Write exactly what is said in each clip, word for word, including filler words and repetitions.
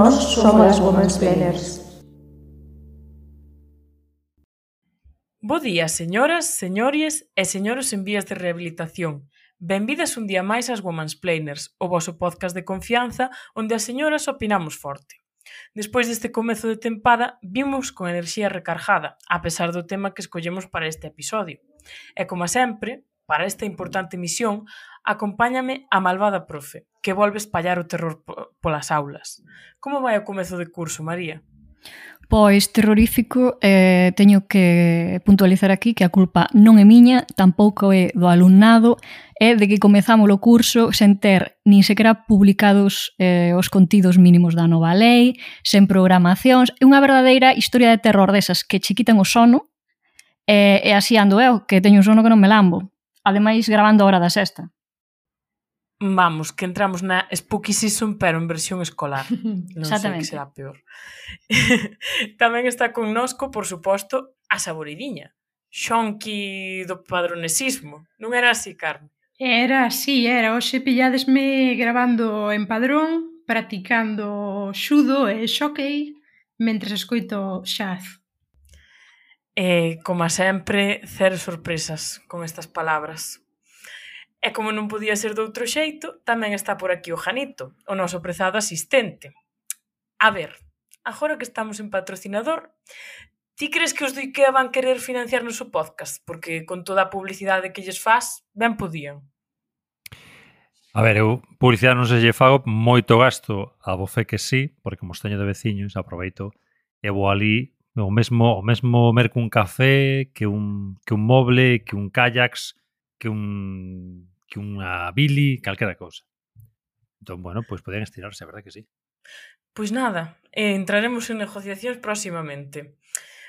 Nós somos as Womansplainers. Bo día, señoras, señores e señores en vías de rehabilitación. Benvidas un día máis ás Womansplainers, o voso podcast de confianza onde as señoras opinamos forte. Despois deste comezo de tempada, vimos con enerxía recargada, a pesar do tema que escollemos para este episodio. E como sempre, para esta importante misión, acompáñame a malvada profe, que volve espallar o terror polas aulas. Como vai o comezo de curso, María? Pois terrorífico, eh, teño que puntualizar aquí que a culpa non é miña, tampouco é do alumnado, é de que comezamos o curso sen ter nin sequera publicados eh, os contidos mínimos da nova lei, sen programacións, é unha verdadeira historia de terror desas que che quitan o sono, e, e así ando eu, que teño un sono que non me lambo, ademais gravando a hora da sexta. Vamos, que entramos na Spooky Season, pero en versión escolar. Non sei que será peor. Tamén está connosco, por suposto, a Saboridinha. Xonqui do padronesismo. Non era así, Carmen? Era así, era. Hoxe pilladesme gravando en Padrón, practicando xudo e xockey, mentres escoito xaz. E, como sempre, cero sorpresas con estas palabras. E como non podía ser de outro xeito, tamén está por aquí o Janito, o noso prezado asistente. A ver, agora que estamos en patrocinador, ti crees que os do IKEA van querer financiarnos o podcast? Porque con toda a publicidade que lles faz, ben podían. A ver, eu publicidade non se lle fago, moito gasto a bofé que sí, porque como os teño de veciños, aproveito e vou ali o mesmo, o mesmo merco un café, que un, que un moble, que un kayaks, que un... que unha bili, calquera cousa. Entón, bueno, pois pues podían estirarse, a verdade que sí. Pois nada, eh, entraremos en negociacións próximamente.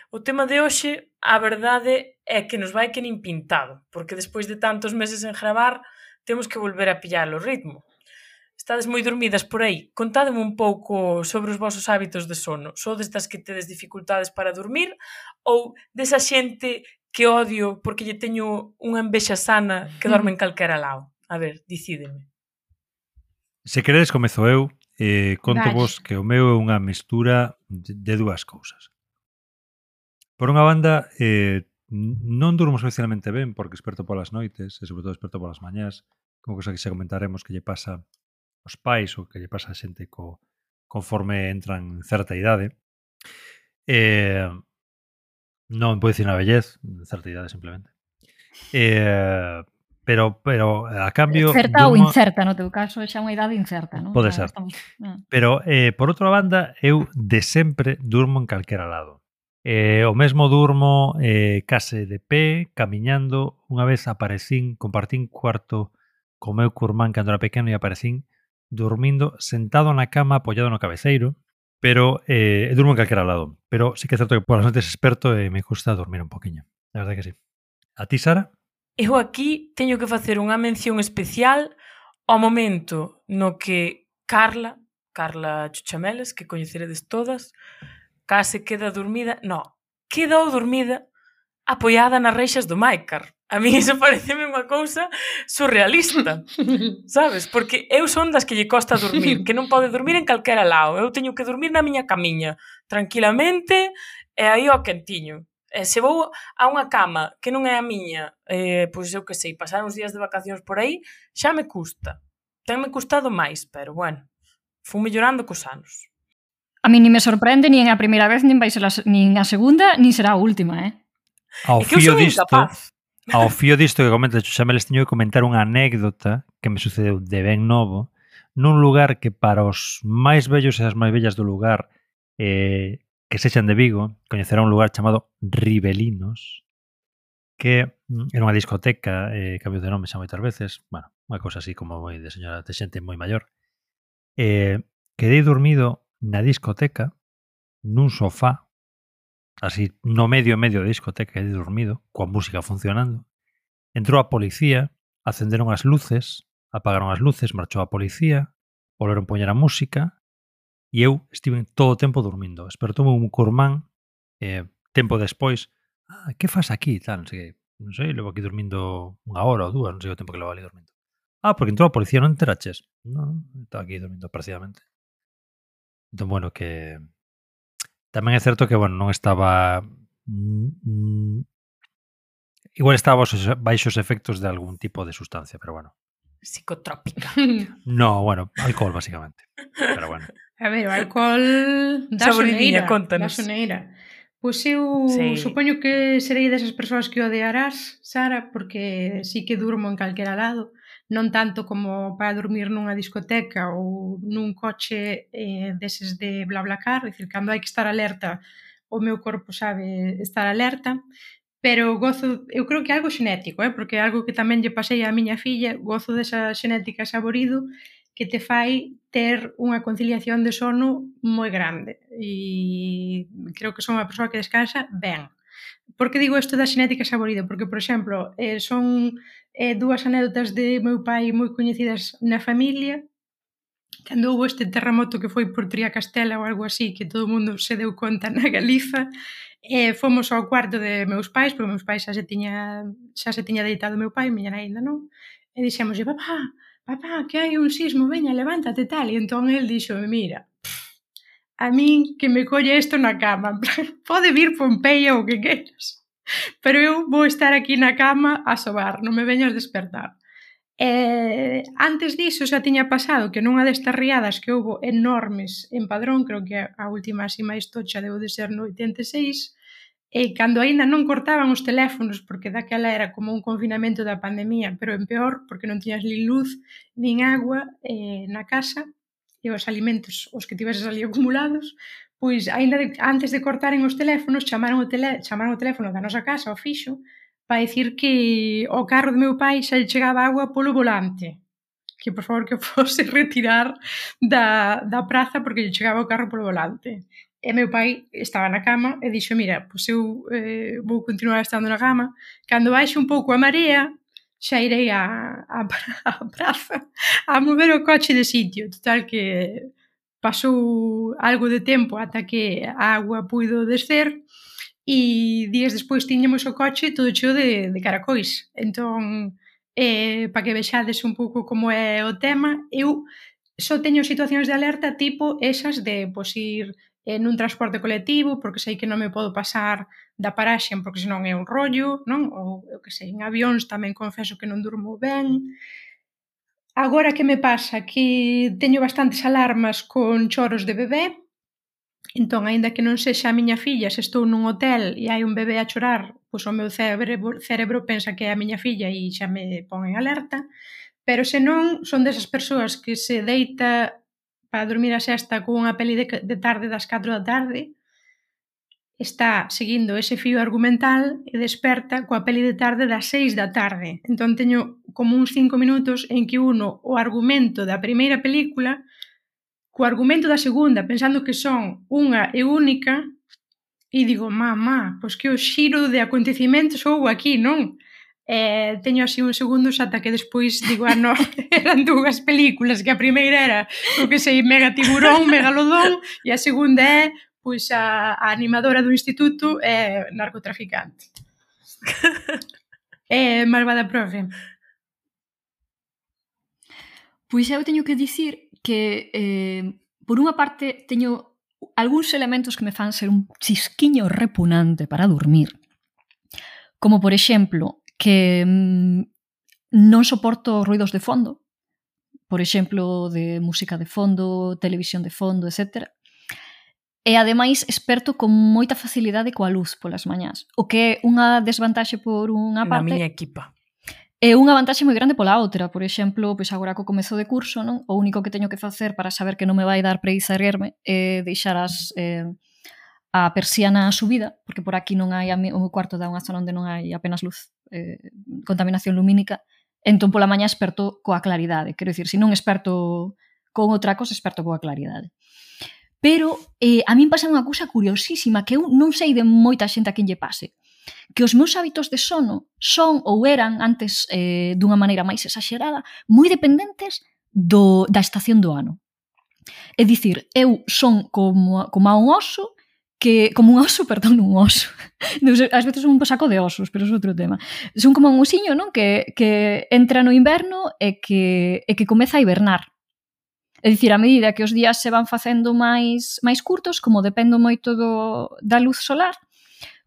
O tema de hoxe, a verdade é que nos vai que nin pintado, porque despois de tantos meses en gravar, temos que volver a pillar o ritmo. Estades moi dormidas por aí? Contádeme un pouco sobre os vosos hábitos de sono. Sodes das que tedes dificultades para dormir ou desa xente que odio porque lle teño unha envexa sana que dorme en calquera lado? A ver, decídeme. Se queredes comezo eu, eh, conto vos que o meu é unha mistura de, de dúas cousas. Por unha banda, eh, non durmo especialmente ben porque esperto polas noites e sobre todo esperto polas mañás, como cosa que xa comentaremos que lle pasa aos pais ou que lle pasa a xente co, conforme entran en certa idade. Eh, non pode dicir na vellez, certa idade simplemente. Eh, pero pero a cambio certa durmo... ou incerta, no teu caso, xa unha idade incerta, non? Pode o sea, ser. Estamos... Pero eh, por outra banda, eu de sempre durmo en calquera lado. Eh, o mesmo durmo eh, case de pé, camiñando. Unha vez aparecín, compartín cuarto co meu curmán cando era pequeno e aparecín dormindo sentado na cama apoiado no cabeceiro. Pero eh, durmo en calquera lado. Pero sí que é certo que por as noites experto e me gusta dormir un poquinho. La verdade que sí. A ti, Sara? Eu aquí teño que facer unha mención especial ao momento no que Carla, Carla Chuchameles, que coñeceredes todas, case queda dormida, no, quedou dormida apoiada nas reixas do Máicar. A mí iso pareceme unha cousa surrealista, sabes? Porque eu son das que lle costa dormir, que non pode dormir en calquera lado. Eu teño que dormir na miña camiña, tranquilamente, e aí ao quentiño. E se vou a unha cama que non é a miña, eh, pois eu que sei, pasar uns días de vacacións por aí, xa me custa. Tenme custado máis, pero bueno, fui mellorando cos anos. A mí ni me sorprende, nin a primeira vez, nin vai ser a, nin a segunda, nin será a última, eh? Ao é que eu fío son disto, incapaz. Ao fío disto que comenta Chuchameles, teño que comentar unha anécdota que me sucedeu de ben novo nun lugar que para os máis vellos e as máis bellas do lugar eh, que sexan de Vigo, coñecerá un lugar chamado Ribelinos, que era unha discoteca, eh, cambio de nome xa moitas veces, bueno, unha cousa así como moi de señora de xente moi maior. Eh, quedei dormido na discoteca, nun sofá, así no medio medio da discoteca, quedei dormido, coa música funcionando. Entrou a policía, acenderon as luces, apagaron as luces, marchou a policía, volveron poñer a música e eu estive todo o tempo dormindo. Espertou un curmán, eh, tempo despois, ah, que fas aquí? Tal, non sei que, non sei, levo aquí dormindo unha hora ou dúas, non sei o tempo que levo ali dormindo. Ah, porque entrou a policía, non enteraches? Non, estaba aquí dormindo parcialmente. Entón, bueno, que tamén é certo que, bueno, non estaba mm, igual estaba baixo, baixo os efectos de algún tipo de sustancia, pero bueno. Psicotrópica. No, bueno, alcohol, basicamente. Pero bueno. A ver, o alcohol da Saboridinha, soneira. contanos. Da soneira. Pois eu Sí. supoño que serei desas persoas que odiarás, Sara, porque sí que durmo en calquera lado. Non tanto como para dormir nunha discoteca ou nun coche eh, deses de BlaBlaCar, é dicir, cando hai que estar alerta, o meu corpo sabe estar alerta, pero gozo, eu creo que é algo xenético, eh, porque é algo que tamén lle pasei á miña filla, gozo desa xenética saborido que te fai ter unha conciliación de sono moi grande e creo que son unha persoa que descansa ben. Por que digo isto da xenética saborido? Porque, por exemplo, eh, son eh, dúas anécdotas de meu pai moi coñecidas na familia. Cando houve este terremoto que foi por Triacastela ou algo así, que todo o mundo se deu conta na Galiza, eh, fomos ao cuarto de meus pais, porque meus pais xa se tiña, xa se tiña deitado meu pai, miña nai ainda non, e dixémoslle, papá, papá, que hai un sismo, veña, levántate tal, e entón el dixo, mira, a min que me colle isto na cama, pode vir Pompeia ou que queras, pero eu vou estar aquí na cama a sobar, non me veñas despertar. Eh, antes diso xa tiña pasado que nunha destas riadas que houve enormes en Padrón, creo que a última así máis tocha deu de ser no oitenta e seis, e cando aínda non cortaban os teléfonos, porque daquela era como un confinamento da pandemia, pero en peor, porque non tiñas nin luz, nin agua eh, na casa, e os alimentos, os que tiveses ali acumulados, pois aínda de, antes de cortaren os teléfonos, chamaron o, tele, chamaron o teléfono da nosa casa, ao fixo, para dicir que o carro do meu pai xa lle chegaba agua polo volante, que por favor que fose retirar da, da praza porque lle chegaba o carro polo volante. E meu pai estaba na cama e dixo, mira, pois eu eh, vou continuar estando na cama, cando baixe un pouco a marea, xa irei a, a, a praza a mover o coche de sitio. Total que pasou algo de tempo ata que a agua puido descer, e días despois tiñamos o coche todo cheo de, de caracois. Entón, eh, para que vexades un pouco como é o tema, eu só teño situacións de alerta tipo esas de pois, ir eh, nun transporte colectivo, porque sei que non me podo pasar da paraxe, porque senón é un rollo, non? Ou, eu que sei, en avións tamén confeso que non durmo ben. Agora que me pasa? Que teño bastantes alarmas con choros de bebé. Entón, aínda que non sexa a miña filla, se estou nun hotel e hai un bebé a chorar, pois o meu cerebro, cerebro pensa que é a miña filla e xa me pon en alerta, pero se non, son desas persoas que se deita para dormir a sesta con unha peli de, de tarde das catro da tarde, está seguindo ese fío argumental e desperta coa peli de tarde das seis da tarde. Entón teño como uns cinco minutos en que uno o argumento da primeira película co argumento da segunda, pensando que son unha e única, e digo, mamá, pois que o xiro de acontecimentos houve aquí, non? Eh, teño así uns segundos ata que despois digo, ah, non, eran dúas películas, que a primeira era, o que sei, Mega Tiburón, Megalodón, e a segunda é, pois, a, a animadora do instituto é narcotraficante. É malvada profe. Pois eu teño que dicir que, eh, por unha parte, teño algúns elementos que me fan ser un chisquiño repugnante para dormir. Como, por exemplo, que mm, non soporto ruidos de fondo. Por exemplo, de música de fondo, televisión de fondo, etcétera. E, ademais, esperto con moita facilidade coa luz polas mañás. O que é unha desvantaxe por unha parte... Na miña equipa. É unha vantaxe moi grande pola outra. Por exemplo, pois agora co comezo de curso, non? O único que teño que facer para saber que non me vai dar preguiza erguerme é deixar as, eh, a persiana subida, porque por aquí non hai, o meu cuarto dá unha zona onde non hai apenas luz, eh, contaminación lumínica, entón pola mañá esperto coa claridade. Quero dicir, se non esperto con outra cosa, esperto coa claridade. Pero eh, a min pasa unha cousa curiosísima que eu non sei de moita xente a quen lle pase, que os meus hábitos de sono son ou eran antes eh, dunha maneira máis exagerada moi dependentes do, da estación do ano. É dicir, eu son como, como a un oso que, como un oso, perdón, un oso. Ás veces son un saco de osos, pero é outro tema. Son como un osiño, non? Que, que entra no inverno e que, e que comeza a hibernar. É dicir, a medida que os días se van facendo máis máis curtos, como dependo moito do, da luz solar,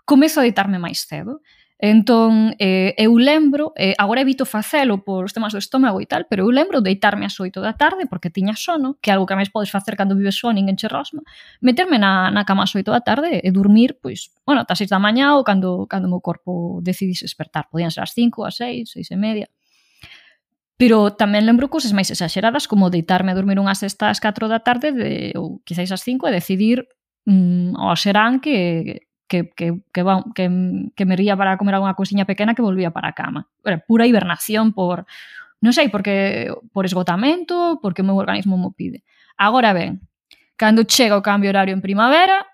comezo a deitarme máis cedo. Entón, eh, eu lembro, eh, agora evito facelo por os temas do estómago e tal, pero eu lembro deitarme ás oito da tarde, porque tiña sono, que é algo que máis podes facer cando vives só, ninguén che rosma, meterme na, na cama ás oito da tarde e dormir, pois, bueno, ata seis da mañá ou cando, cando o meu corpo decidise despertar. Podían ser ás cinco, ás seis, seis e media. Pero tamén lembro cousas máis exaxeradas, como deitarme a dormir unha sesta ás catro da tarde, de, ou quizáis ás cinco, e decidir mmm, ao serán que... Que, que, que, va, que, que me ría para comer alguna cousiña pequena que volvía para a cama. Era pura hibernación por, non sei, porque por esgotamento, porque o meu organismo mo pide. Agora ben, cando chega o cambio horario en primavera,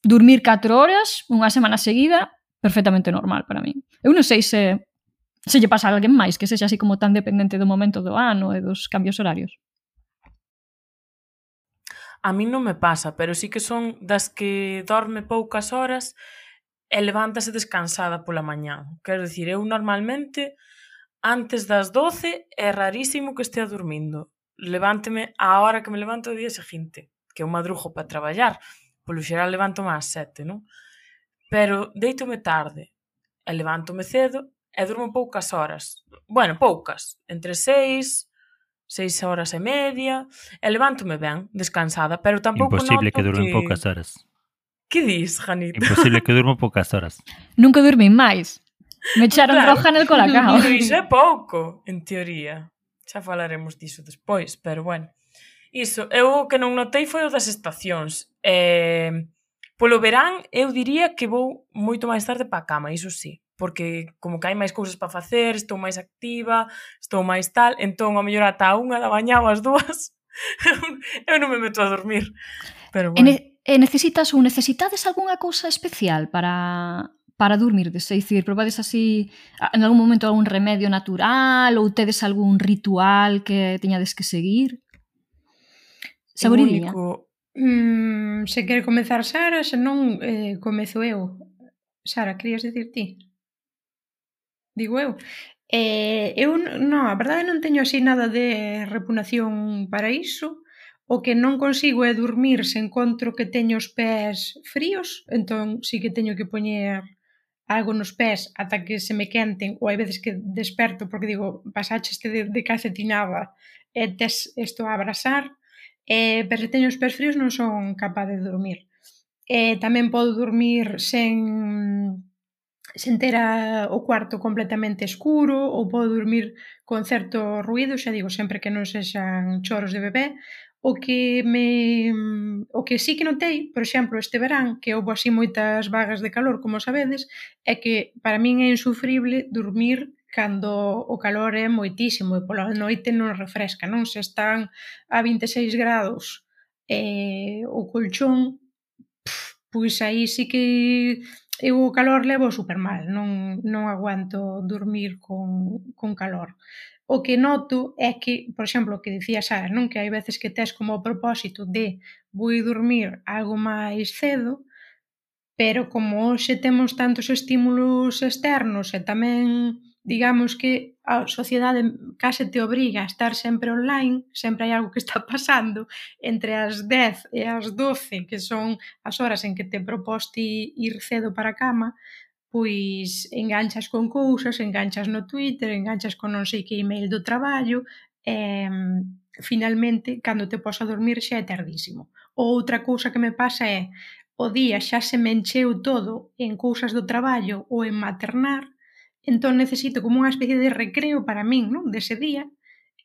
dormir catro horas, unha semana seguida, perfectamente normal para mí. Eu non sei se, se lle pasa a alguén máis que sexa así como tan dependente do momento do ano e dos cambios horarios. A mí non me pasa, pero sí que son das que dorme poucas horas e levántase descansada pola mañá. Quero dicir, eu normalmente antes das doce é rarísimo que estea dormindo. Levánteme á hora que me levanto o día seguinte, que eu madrugo para traballar. Polo xeral levántome ás sete, non? Pero deítome tarde e levántome cedo e durmo poucas horas. Bueno, poucas. Entre seis... seis horas e media, e levántome ben, descansada, pero tampouco Imposible noto que durmen que... poucas horas. Que dis, Janita? Imposible que durmo poucas horas. Nunca dormí máis. Me echaron Claro. roja nel colacao. Pero iso é pouco, en teoría. Xa falaremos diso despois, pero bueno. Iso, eu o que non notei foi o das estacións. Eh, polo verán, eu diría que vou moito máis tarde para a cama, iso sí. Porque como que hai máis cousas para facer, estou máis activa, estou máis tal, entón a mellor ata a unha da mañá ou as dúas eu non me meto a dormir. Pero bueno. E, ne e necesitas ou necesitades algunha cousa especial para para dormirdes? É dicir, probades así en algún momento algún remedio natural ou tedes algún ritual que teñades que seguir? Saboridiña? Único... Mm, se quere comezar Sara, se non eh, comezo eu. Sara, querías dicir ti? Digo eu. Eh, eu, non, a verdade non teño así nada de repugnación para iso. O que non consigo é dormir se encontro que teño os pés fríos, entón sí que teño que poñer algo nos pés ata que se me quenten, ou hai veces que desperto porque digo, pasaxeste de, de calcetinada e tes isto a abrasar, eh, pero se teño os pés fríos non son capaz de dormir. Eh, tamén podo dormir sen... sen ter a, o cuarto completamente escuro, ou podo dormir con certo ruído, xa digo, sempre que non sexan choros de bebé. O que me o que sí que notei, por exemplo, este verán, que houve así moitas vagas de calor, como sabedes, é que para min é insufrible dormir cando o calor é moitísimo e pola noite non refresca, non? Se están a vinte e seis grados e o colchón, pff, pois aí sí que eu o calor levo super mal, non, non aguanto dormir con, con calor. O que noto é que, por exemplo, o que dicía Sara, non? Que hai veces que tes como o propósito de vou dormir algo máis cedo, pero como hoxe temos tantos estímulos externos e tamén, digamos que a sociedade case te obriga a estar sempre online, sempre hai algo que está pasando entre as dez e as doce, que son as horas en que te proposte ir cedo para a cama, pois enganchas con cousas, enganchas no Twitter, enganchas con non sei que email do traballo e finalmente, cando te pos a dormir xa é tardísimo. Ou outra cousa que me pasa é o día xa se me encheu todo en cousas do traballo ou en maternar, entón necesito como unha especie de recreo para min, non? Dese día,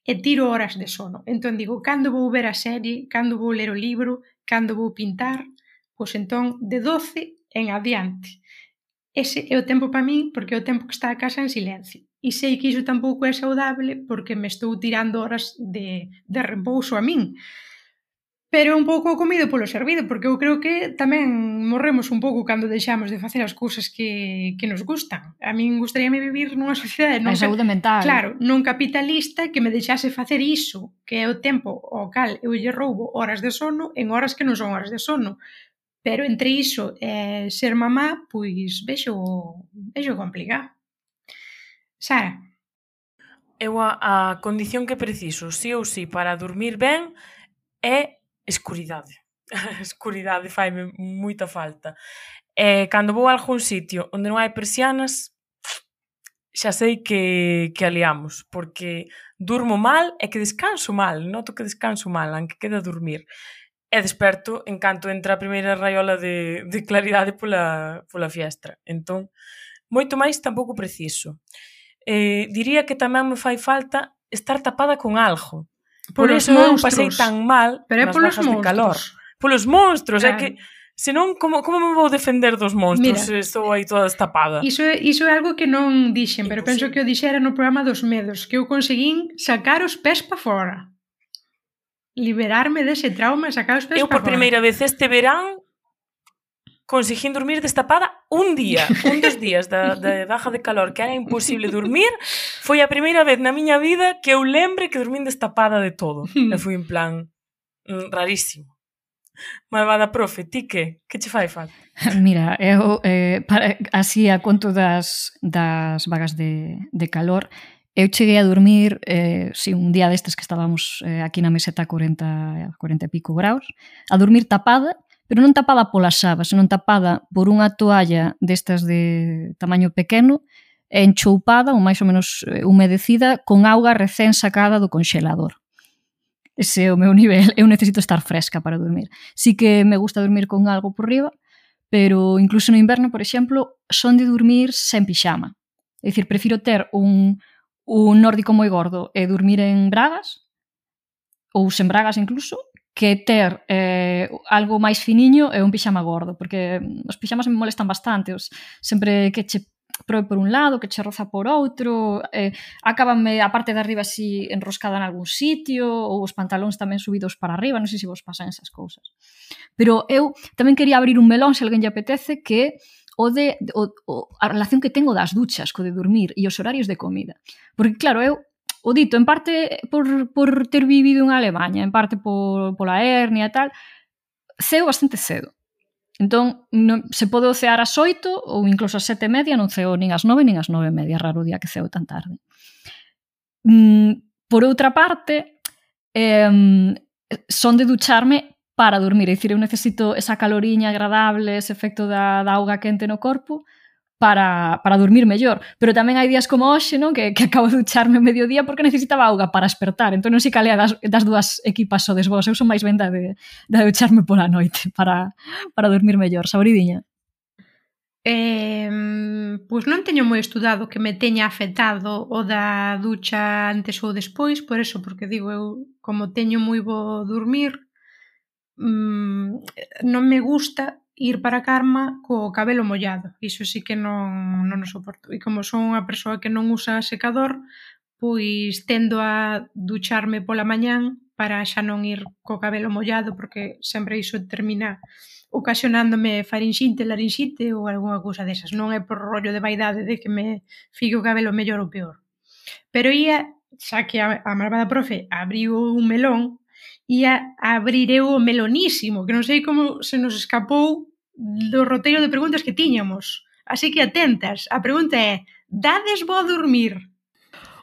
e tiro horas de sono. Entón digo, cando vou ver a serie, cando vou ler o libro, cando vou pintar, pois entón de doce en adiante. Ese é o tempo para min porque é o tempo que está a casa en silencio. E sei que iso tampouco é saudable porque me estou tirando horas de, de repouso a min. Pero un pouco comido polo servido, porque eu creo que tamén morremos un pouco cando deixamos de facer as cousas que, que nos gustan. A min gustaríame vivir nunha sociedade non a saúde mental. Claro, non capitalista que me deixase facer iso, que é o tempo ao cal eu lle roubo horas de sono en horas que non son horas de sono. Pero entre iso e ser mamá, pois vexo, vexo complicado. Sara? Eu a, a condición que preciso, sí ou sí, para dormir ben, é escuridade. A escuridade faime moita falta. E cando vou a algún sitio onde non hai persianas, xa sei que, que aliamos, porque durmo mal e que descanso mal, noto que descanso mal, aunque queda a dormir. E desperto en canto entra a primeira raiola de, de claridade pola, pola fiestra. Entón, moito máis tampouco preciso. Eh, diría que tamén me fai falta estar tapada con algo. Por Polos eso eu monstros. pasei tan mal Pero é nas polos bajas de calor. monstros. Polos monstros, Claro. é que senón como, como me vou defender dos monstros Mira, se estou aí toda destapada? Iso é, iso é algo que non dixen, pero penso Imposible. que o dixera no programa dos medos, que eu conseguín sacar os pés pa fora. Liberarme dese trauma e sacar os pés Eu pa por fora. primeira vez este verán conseguín dormir destapada un día, un dos días da, da baja de calor, que era imposible dormir. Foi a primeira vez na miña vida que eu lembre que dormín destapada de todo. E foi en plan mm, rarísimo. Malvada profe, ti que? Que che fai falta? Mira, eu eh, para, así a conto das, das vagas de, de calor, eu cheguei a dormir eh, si, un día destes que estábamos eh, aquí na meseta a cuarenta, cuarenta e pico graus, a dormir tapada, pero non tapada pola xaba, senón tapada por unha toalla destas de tamaño pequeno, enchoupada ou máis ou menos humedecida con auga recén sacada do conxelador. Ese é o meu nivel, eu necesito estar fresca para dormir. Sí que me gusta dormir con algo por riba, pero incluso no inverno, por exemplo, son de dormir sen pixama. É dicir, prefiro ter un, un nórdico moi gordo e dormir en bragas, ou sen bragas incluso, que ter eh, algo máis finiño e un pixama gordo, porque os pixamas me molestan bastante, os, sempre que che proe por un lado, que che roza por outro, eh, acabanme a parte de arriba así enroscada en algún sitio, ou os pantalóns tamén subidos para arriba, non sei se vos pasan esas cousas. Pero eu tamén quería abrir un melón, se alguén lle apetece, que o de o, o, a relación que tengo das duchas, co de dormir e os horarios de comida. Porque claro, eu o dito, en parte por, por ter vivido en Alemanha, en parte por, pola hernia e tal, ceo bastante cedo. Entón, non, se pode cear ás oito ou incluso ás sete e media, non ceo nin ás nove nin ás nove e media, raro o día que ceo tan tarde. Mm, por outra parte, eh, son de ducharme para dormir, é dicir, eu necesito esa caloriña agradable, ese efecto da, da auga quente no corpo, para, para dormir mellor. Pero tamén hai días como hoxe, non? Que, que acabo de ducharme mediodía porque necesitaba auga para espertar. Entón non sei calea das, das dúas equipas sodes vos. Eu son máis ben da de, da de ducharme pola noite para, para dormir mellor. Saboridinha? Eh, pois non teño moi estudado que me teña afectado o da ducha antes ou despois, por eso, porque digo, eu como teño moi bo dormir, mmm, non me gusta ir para a cama co cabelo mollado. Iso sí que non, non o soporto. E como son unha persoa que non usa secador, pois tendo a ducharme pola mañán para xa non ir co cabelo mollado, porque sempre iso termina ocasionándome farinxite, larinxite ou algunha cousa desas. Non é por rollo de vaidade de que me fique o cabelo mellor ou peor. Pero ia, xa que a, a malvada profe abriu un melón, ia abrir eu o melonísimo, que non sei como se nos escapou do roteiro de preguntas que tiñamos. Así que atentas, a pregunta é: dades bo a dormir?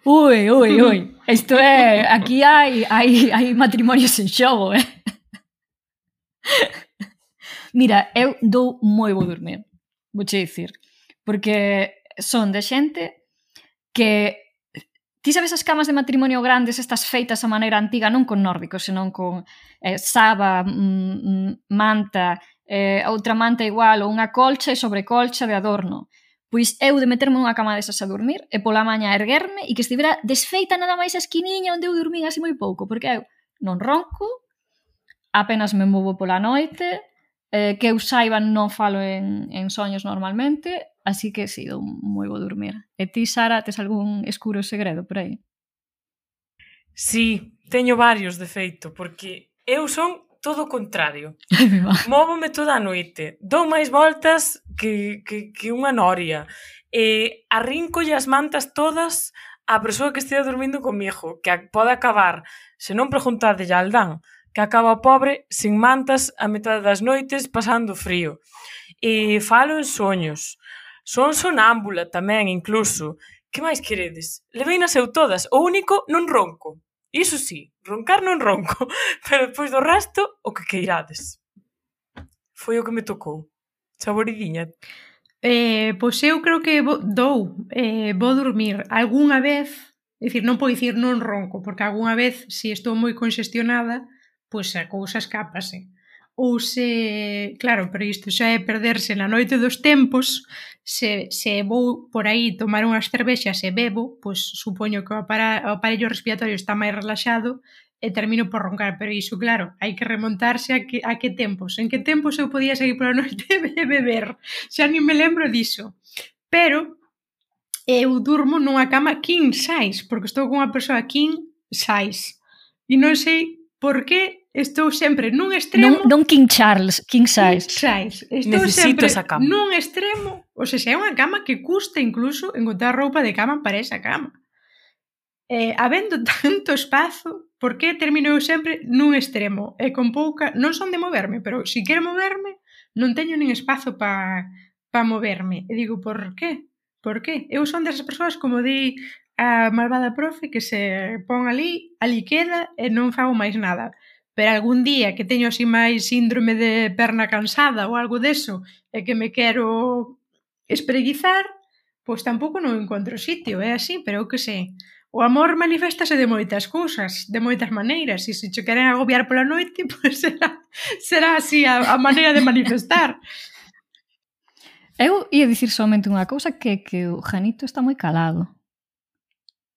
Ui, ui, ui. Isto é, aquí hai, hai, hai matrimonios en xogo, eh? Mira, eu dou moi bo dormir, vouche dicir, porque son de xente que ti sabes as camas de matrimonio grandes, estas feitas a maneira antiga, non con nórdicos, senón con eh, saba, mm, manta, eh, outra manta igual, ou unha colcha e sobrecolcha de adorno. Pois eu de meterme nunha cama desas a dormir e pola maña erguerme e que estivera desfeita nada máis a esquiniña onde eu dormín así moi pouco, porque eu non ronco, apenas me movo pola noite, eh, que eu saiba non falo en, en soños normalmente, así que si, dou moi bo dormir. E ti, Sara, tes algún escuro segredo por aí? Sí, teño varios de feito, porque eu son todo o contrario. Ai, me va. Móvome toda a noite, dou máis voltas que, que, que unha noria, e arrincolle as mantas todas á persoa que estea dormindo comigo, que pode acabar, se non preguntade a Aldán, que acaba o pobre sin mantas a metade das noites pasando frío. E falo en soños. Son sonámbula tamén, incluso. Que máis queredes? Leveina eu todas. O único, non ronco. Iso sí, roncar non ronco, pero despois do resto, o que queirades. Foi o que me tocou. Saboridiña. Eh, pois eu creo que vou, dou, eh, vou dormir algunha vez, é dicir, non podo dicir non ronco, porque algunha vez, se estou moi conxestionada, pois a cousa escápase. Ou se, claro, pero isto xa é perderse na noite dos tempos, se, se vou por aí tomar unhas cervexas e bebo, pois supoño que o, apara, o aparello respiratorio está máis relaxado e termino por roncar, pero iso, claro, hai que remontarse a que, a que tempos. En que tempos eu podía seguir pola noite e beber? Xa nin me lembro diso. Pero eu durmo nunha cama king size, porque estou con unha persoa king size. E non sei por que estou sempre nun extremo... Non, non King Charles, King Size. King size. Estou Necesito sempre esa cama. nun extremo, ou se é unha cama que custa incluso encontrar roupa de cama para esa cama. Eh, habendo tanto espazo, por que termino eu sempre nun extremo? E con pouca... Non son de moverme, pero se quero moverme, non teño nin espazo para pa moverme. E digo, por qué? Por qué? Eu son desas persoas, como di a malvada profe, que se pon ali, ali queda e non fago máis nada. Pero algún día que teño así máis síndrome de perna cansada ou algo deso e que me quero espreguizar, pois tampouco non encontro sitio, é así, pero eu que sei. O amor maniféstase de moitas cousas, de moitas maneiras, e se che queren agobiar pola noite, pois será, será así a, a maneira de manifestar. Eu ia dicir somente unha cousa, que que o Janito está moi calado.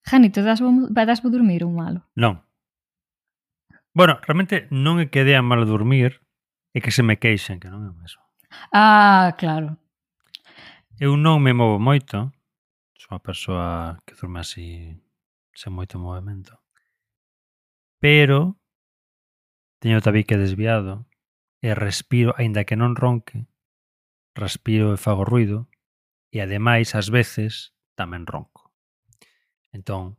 Janito, dasvo, dasvo dormir ou malo? Non. Bueno, realmente non é que dea mal dormir, é que se me queixen, que non é o mesmo. Ah, claro. Eu non me movo moito, sou unha persoa que durme así, sen moito movimento. Pero teño o tabique desviado e respiro, aínda que non ronque, respiro e fago ruido e ademais, ás veces, tamén ronco. Entón,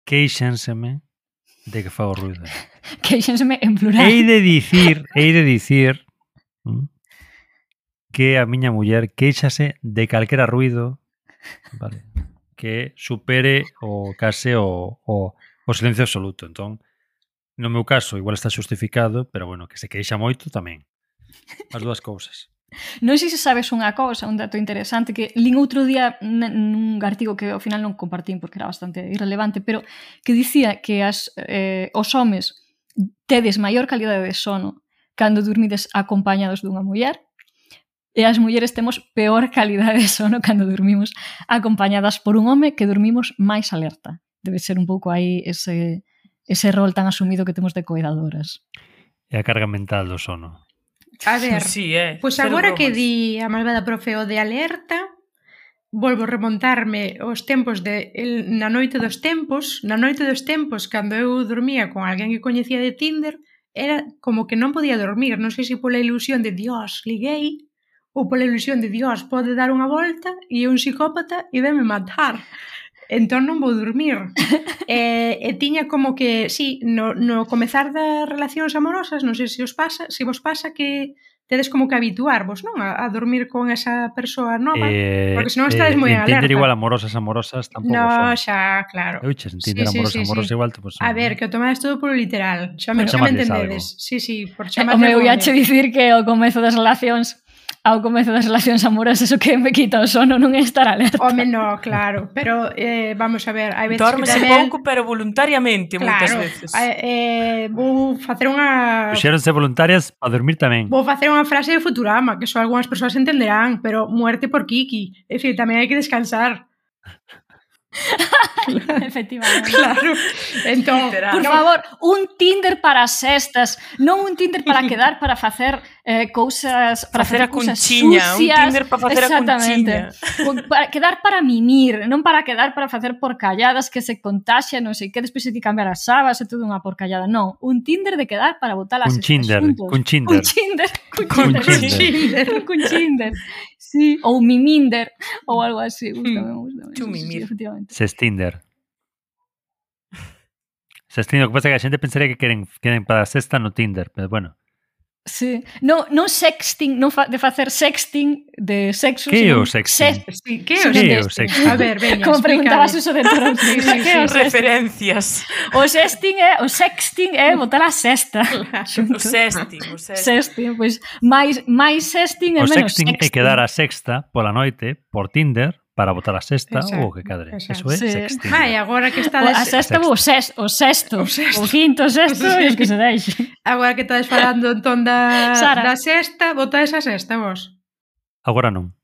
queixenseme de que fago ruido. Queixenseme en plural. Hei de dicir, hei de dicir ¿m? que a miña muller queixase de calquera ruido, vale, que supere o case o, o, o silencio absoluto. Entón, no meu caso, igual está justificado, pero bueno, que se queixa moito tamén. As dúas cousas. Non sei se sabes unha cousa, un dato interesante que lín outro día nun artigo que ao final non compartín porque era bastante irrelevante, pero que dicía que as, eh, os homes tedes maior calidade de sono cando dormides acompañados dunha muller e as mulleres temos peor calidade de sono cando dormimos acompañadas por un home que dormimos máis alerta. Debe ser un pouco aí ese, ese rol tan asumido que temos de coidadoras. E a carga mental do sono. A ver, Sí, eh. pois Cero agora que bromas. di a malvada profe o de alerta, volvo a remontarme aos tempos de el, na noite dos tempos, na noite dos tempos cando eu dormía con alguén que coñecía de Tinder, era como que non podía dormir, non sei se pola ilusión de Dios, liguei, ou pola ilusión de Dios, pode dar unha volta e é un psicópata e venme matar. Entón non vou dormir. e, e tiña como que, sí, no, no comezar das relacións amorosas, non sei se os pasa, se vos pasa que tedes como que habituarvos, non? A, a dormir con esa persoa nova, Eh, porque senón estades moi en entender alerta. igual amorosas, amorosas, tampouco No, son. xa, claro. Eu che entender Sí, sí, amorosas, sí, amorosas sí. igual, pues, A ver, que o tomades todo polo literal. Xa me, Por xa me chamarles entendedes. algo. Sí, sí, por O chamarlle meu algo ia che de- dicir que ao comezo das relacións ao comezo das relacións amorosas o que me quita o sono non é estar alerta. Home, no, claro. Pero, eh, vamos a ver, hai veces Dórmese que tamén... pouco, pero voluntariamente, moitas Claro, veces. eh, eh, vou facer unha... Puxéronse voluntarias para dormir tamén. Vou facer unha frase de Futurama, que só algunhas persoas entenderán, pero muerte por Kiki. É dicir, tamén hai que descansar. Efectivamente. Claro. Entón, Literal. Por no, favor, un Tinder para as sestas, non un Tinder para quedar para facer eh, cousas para Facer a cousas cunchiña, un sucias. Tinder para facer a Exactamente. cunchiña. Un- Para quedar para mimir, non para quedar para facer porcalladas que se contaxia, non sei que, despois hai que cambiar as sabas e todo unha porcallada. Non, un Tinder de quedar para botar as Cun chinder, xuntos. cun chinder. Un Tinder, cun Cun Tinder. chinder. Un cun Tinder. Sí, ou miminder ou algo así, gustame, gustame. Tú Sí, sí, sí, mimir. efectivamente. Sestinder. Sestinder, o que pasa é que a xente pensaría que queren, queren para a sexta no Tinder, pero bueno. Sí. Non, non sexting, non fa, de facer sexting de sexo, Que é sino o sexting? Sí, que é o Que é o sexting? sexting? A ver, veña, Como preguntabas explícame. eso de Toronto. Sí, sí, Que é o sexting? Referencias. O sexting é, o sexting é botar a sexta. O sexting, o sexting. Sexting, pois máis máis sexting é O menos sexting é quedar a sexta pola noite por Tinder para botar a sexta Exacto, ou o que cadre. exacto. Eso é Sí. sexting. Vai, agora que O, estades a sexta ou o, sex, o sexto, O sexto. o quinto, o sexto, e os que se deixe. agora que estades falando entón da, Sara. da sexta, botades a sexta vos. Agora non.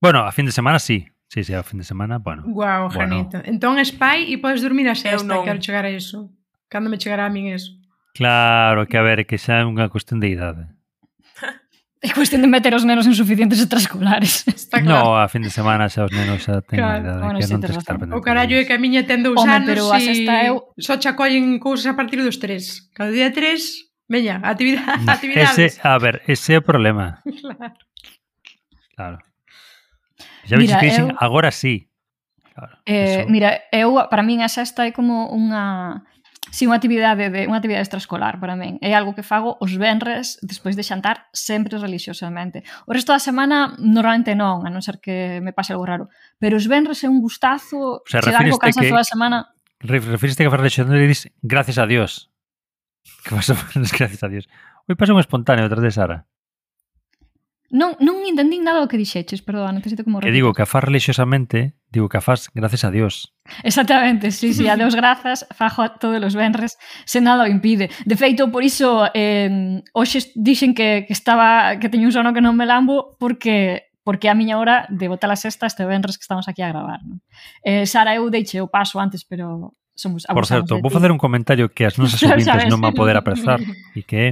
Bueno, a fin de semana sí. Sí, sí, a fin de semana, bueno. Guau, Bueno. Janito. Entón es pai e podes dormir a sexta, non. quero chegar a iso. Cando me chegará a min eso? Claro, que a ver, que xa é unha cuestión de idade. É cuestión de meter os nenos en suficientes extraescolares. Está claro. No, a fin de semana xa os nenos xa ten Claro. claro. idade Bueno, que sí, non tes tens que estar razón. pendente. O carallo é que a miña ten dous Home, anos pero a e sexta eu- só che acollen cousas a partir dos tres. Cada día tres, veña, actividade, Mm, actividades. Ese, a ver, ese é o problema. Claro. Claro. Xa me Mira, que dixen, eu- agora sí. Claro, Eh, eso. mira, eu para min a sexta é como unha si unha actividade de unha actividade extraescolar para min. É algo que fago os venres despois de xantar sempre religiosamente. O resto da semana normalmente non, a non ser que me pase algo raro, pero os venres é un gustazo, O sea, chegar co refíreste cansazo que- da semana. Re- Refiriste que faz lexionero e dis gracias a Dios. Que vas a gracias a Dios. Hoy pasa un espontáneo detrás de Sara. Non, non entendín nada do que dixeches, perdón, necesito como Que digo que a faz religiosamente, digo que a faz gracias a Dios. Exactamente, sí, sí, a Deus grazas, fajo a todos os venres, se nada o impide. De feito, por iso, eh, hoxe dixen que, que estaba que teño un sono que non me lambo porque porque é a miña hora de botar a sexta este venres que estamos aquí a gravar. Non? Eh, Sara, eu deixe o paso antes, pero somos Por abusamos certo, de vou ti. facer un comentario que as nosas Xa ouvintes sabes. non van poder aprezar e que é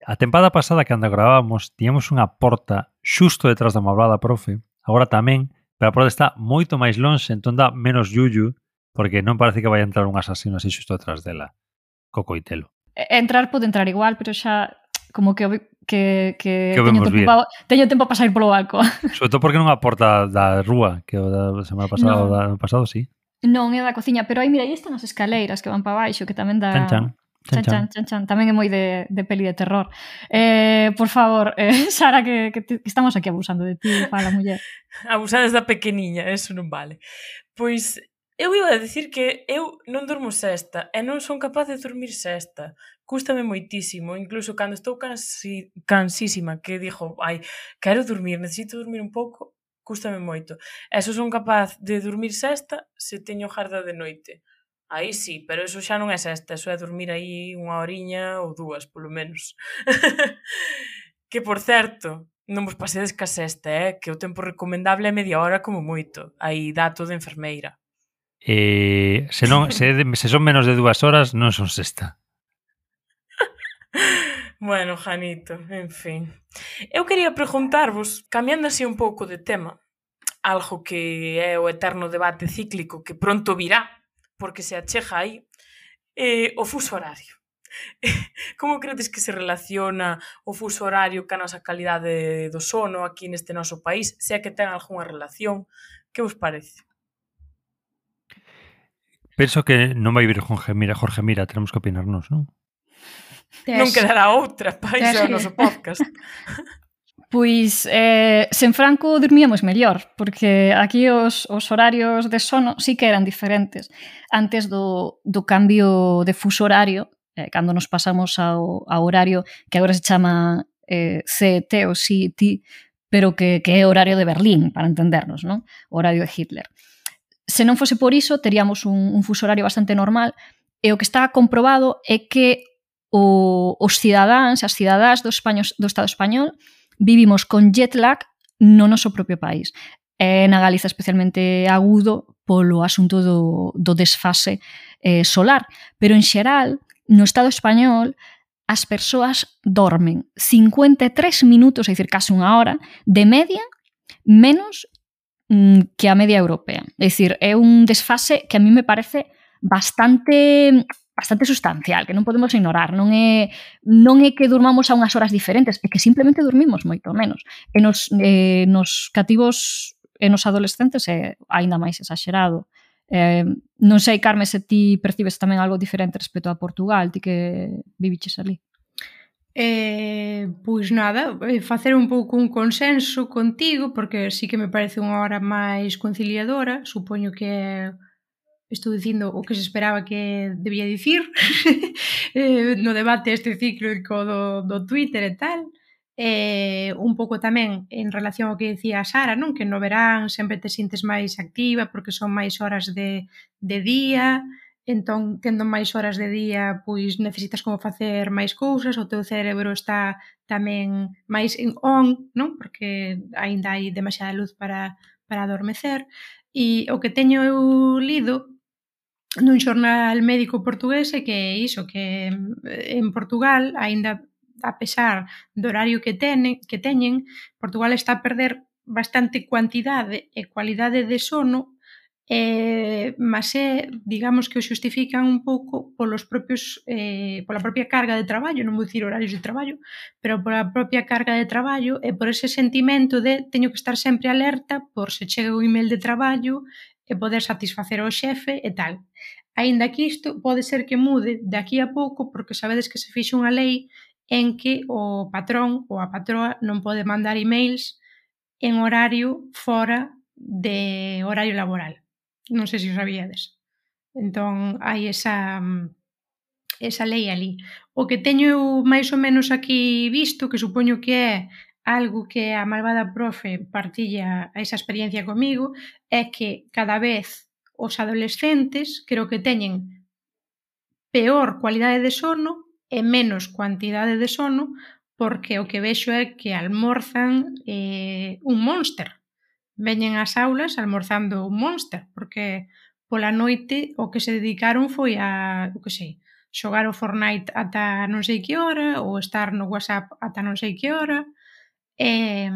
a tempada pasada cando gravábamos tiñamos unha porta xusto detrás da mablada profe, agora tamén, pero a porta está moito máis lonxe, entón dá menos yuyu, porque non parece que vai entrar un asasino así xusto detrás dela, co coitelo. Entrar pode entrar igual, pero xa como que o- que, que, Que o teño, vemos tempo bien. pa, teño tempo para sair polo balcón. Sobre todo porque non a porta da rúa, que o da semana pasada No. ou da ano pasado, sí. Non é da cociña, pero aí mira, aí están as escaleiras que van para baixo, que tamén dá Chan, chan. Chan, chan, chan, chan. Tamén é moi de, de peli de terror. Eh, por favor, eh, Sara, que, que, te, que estamos aquí abusando de ti, fala, muller. Abusades da pequeniña, eso non vale. Pois eu iba a decir que eu non durmo sexta e non son capaz de dormir sexta. Cústame moitísimo, incluso cando estou cansi, cansísima, que dixo, ai, quero dormir, necesito dormir un pouco, cústame moito. E só son capaz de dormir sexta se teño garda de noite. Aí sí, pero eso xa non é sexta, eso é dormir aí unha horiña ou dúas, polo menos. Que, por certo, non vos pasedes ca sexta, eh? Que o tempo recomendable é media hora como moito. Aí dato de enfermeira. Eh, se, non, se, se son menos de dúas horas, non son sexta. Bueno, Janito, en fin. Eu quería preguntarvos, cambiando así un pouco de tema, algo que é o eterno debate cíclico que pronto virá, porque se achega aí, eh, o fuso horario. Como credes que se relaciona o fuso horario ca nosa calidade do sono aquí neste noso país, se é que ten algunha relación? Que vos parece? Penso que non vai vir Jorge Mira, Jorge Mira, tenemos que opinarnos, non? Non quedará outra, pa iso é o noso podcast. Pois, eh, sen Franco dormíamos mellor, porque aquí os, os horarios de sono sí que eran diferentes. Antes do, do cambio de fuso horario, eh, cando nos pasamos ao, ao horario que agora se chama eh, C E T ou C E T, pero que, que é horario de Berlín, para entendernos, non? O horario de Hitler. Se non fose por iso, teríamos un, un fuso horario bastante normal, e o que está comprobado é que o, os cidadáns, as cidadás do, español, do Estado español, vivimos con jet lag no noso propio país. E na Galiza especialmente agudo polo asunto do, do desfase eh, solar. Pero en xeral, no Estado español, as persoas dormen cincuenta e tres minutos, é dicir, case unha hora, de media, menos mm, que a media europea. É dicir, é un desfase que a mí me parece bastante... bastante sustancial, que non podemos ignorar. Non é, non é que durmamos a unhas horas diferentes, é que simplemente dormimos moito menos. E nos, eh, nos cativos e nos adolescentes é aínda máis exagerado. Eh, non sei, Carme, se ti percibes tamén algo diferente respecto a Portugal, ti que viviches ali. Eh, pois nada, facer un pouco un consenso contigo, porque sí que me parece unha hora máis conciliadora, supoño que estou dicindo o que se esperaba que debía dicir eh, no debate este cíclico do, do Twitter e tal. Eh, un pouco tamén en relación ao que dicía a Sara, non? Que no verán sempre te sintes máis activa porque son máis horas de, de día, entón, tendo máis horas de día, pois necesitas como facer máis cousas, o teu cerebro está tamén máis en on, non? Porque aínda hai demasiada luz para, para adormecer. E o que teño eu lido nun xornal médico portugués é que iso, que en Portugal, aínda a pesar do horario que, tene, que teñen, Portugal está a perder bastante cuantidade e cualidade de sono, eh, mas é, digamos que o xustifican un pouco polos propios, eh, pola propia carga de traballo, non vou dicir horarios de traballo, pero pola propia carga de traballo e por ese sentimento de teño que estar sempre alerta por se chega un email de traballo e poder satisfacer ao xefe e tal. Aínda que isto pode ser que mude de aquí a pouco porque sabedes que se fixe unha lei en que o patrón ou a patroa non pode mandar emails en horario fora de horario laboral. Non sei se o sabíades. Entón, hai esa, esa lei ali. O que teño eu máis ou menos aquí visto, que supoño que é algo que a malvada profe partilla esa experiencia comigo, é que cada vez os adolescentes creo que teñen peor cualidade de sono e menos cuantidade de sono, porque o que vexo é que almorzan eh, un Monster. Veñen ás aulas almorzando un Monster, porque pola noite o que se dedicaron foi a, o que sei, xogar o Fortnite ata non sei que hora, ou estar no WhatsApp ata non sei que hora, e,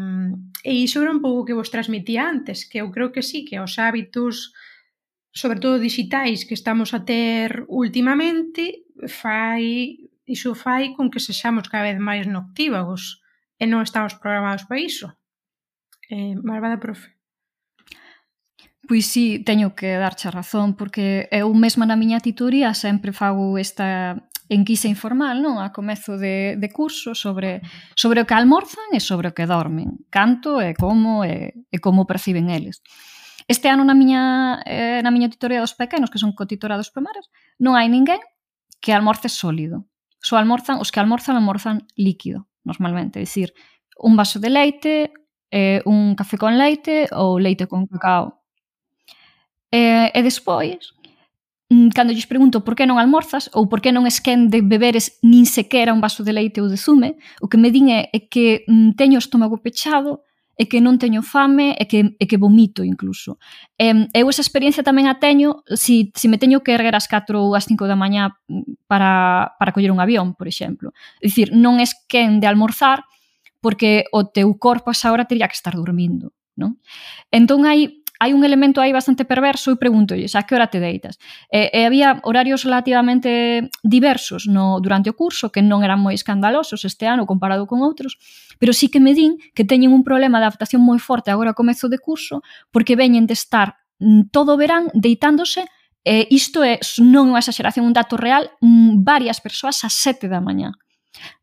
e iso era un pouco que vos transmitía antes, que eu creo que sí, que os hábitos, sobre todo digitais, que estamos a ter últimamente, fai, iso fai con que sexamos cada vez máis noctívagos, e non estamos programados para iso. Eh, malvada profe. Pois sí, teño que darche a razón, porque eu mesma na miña tituría sempre fago esta enquisa informal, non? A comezo de, de curso sobre, sobre o que almorzan e sobre o que dormen, canto e como e, e como perciben eles. Este ano na miña, eh, na miña titoría dos pequenos, que son cotitorados primarios, non hai ninguén que almorce sólido. Só almorzan, os que almorzan, almorzan líquido, normalmente. É dicir, un vaso de leite, eh, un café con leite ou leite con cacao. E, e despois, cando lles pregunto por que non almorzas ou por que non esquén de beberes nin sequera un vaso de leite ou de zume, o que me din é, é que mm, teño o estómago pechado, e que non teño fame e que, e que vomito incluso. E, eu esa experiencia tamén a teño si, si me teño que erguer ás catro ou ás cinco da mañá para, para coller un avión, por exemplo. É dicir, non esquén de almorzar porque o teu corpo a esa hora teria que estar dormindo, non? Entón hai hai un elemento aí bastante perverso e pregúntolles a que hora te deitas. E, e había horarios relativamente diversos no, durante o curso, que non eran moi escandalosos este ano comparado con outros, pero sí que me din que teñen un problema de adaptación moi forte agora ao comezo de curso, porque veñen de estar todo o verán deitándose, e isto é non unha exageración, un dato real, varias persoas ás sete da mañá.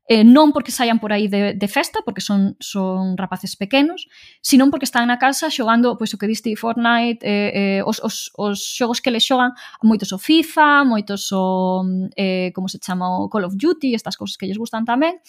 Eh, non porque saian por aí de, de festa, porque son, son rapaces pequenos, sino porque están na casa xogando, pois o que diste, Fortnite, eh, eh, os, os, os xogos que les xogan, moitos o FIFA, moitos o, eh, como se chama, o Call of Duty, estas cousas que lles gustan tamén,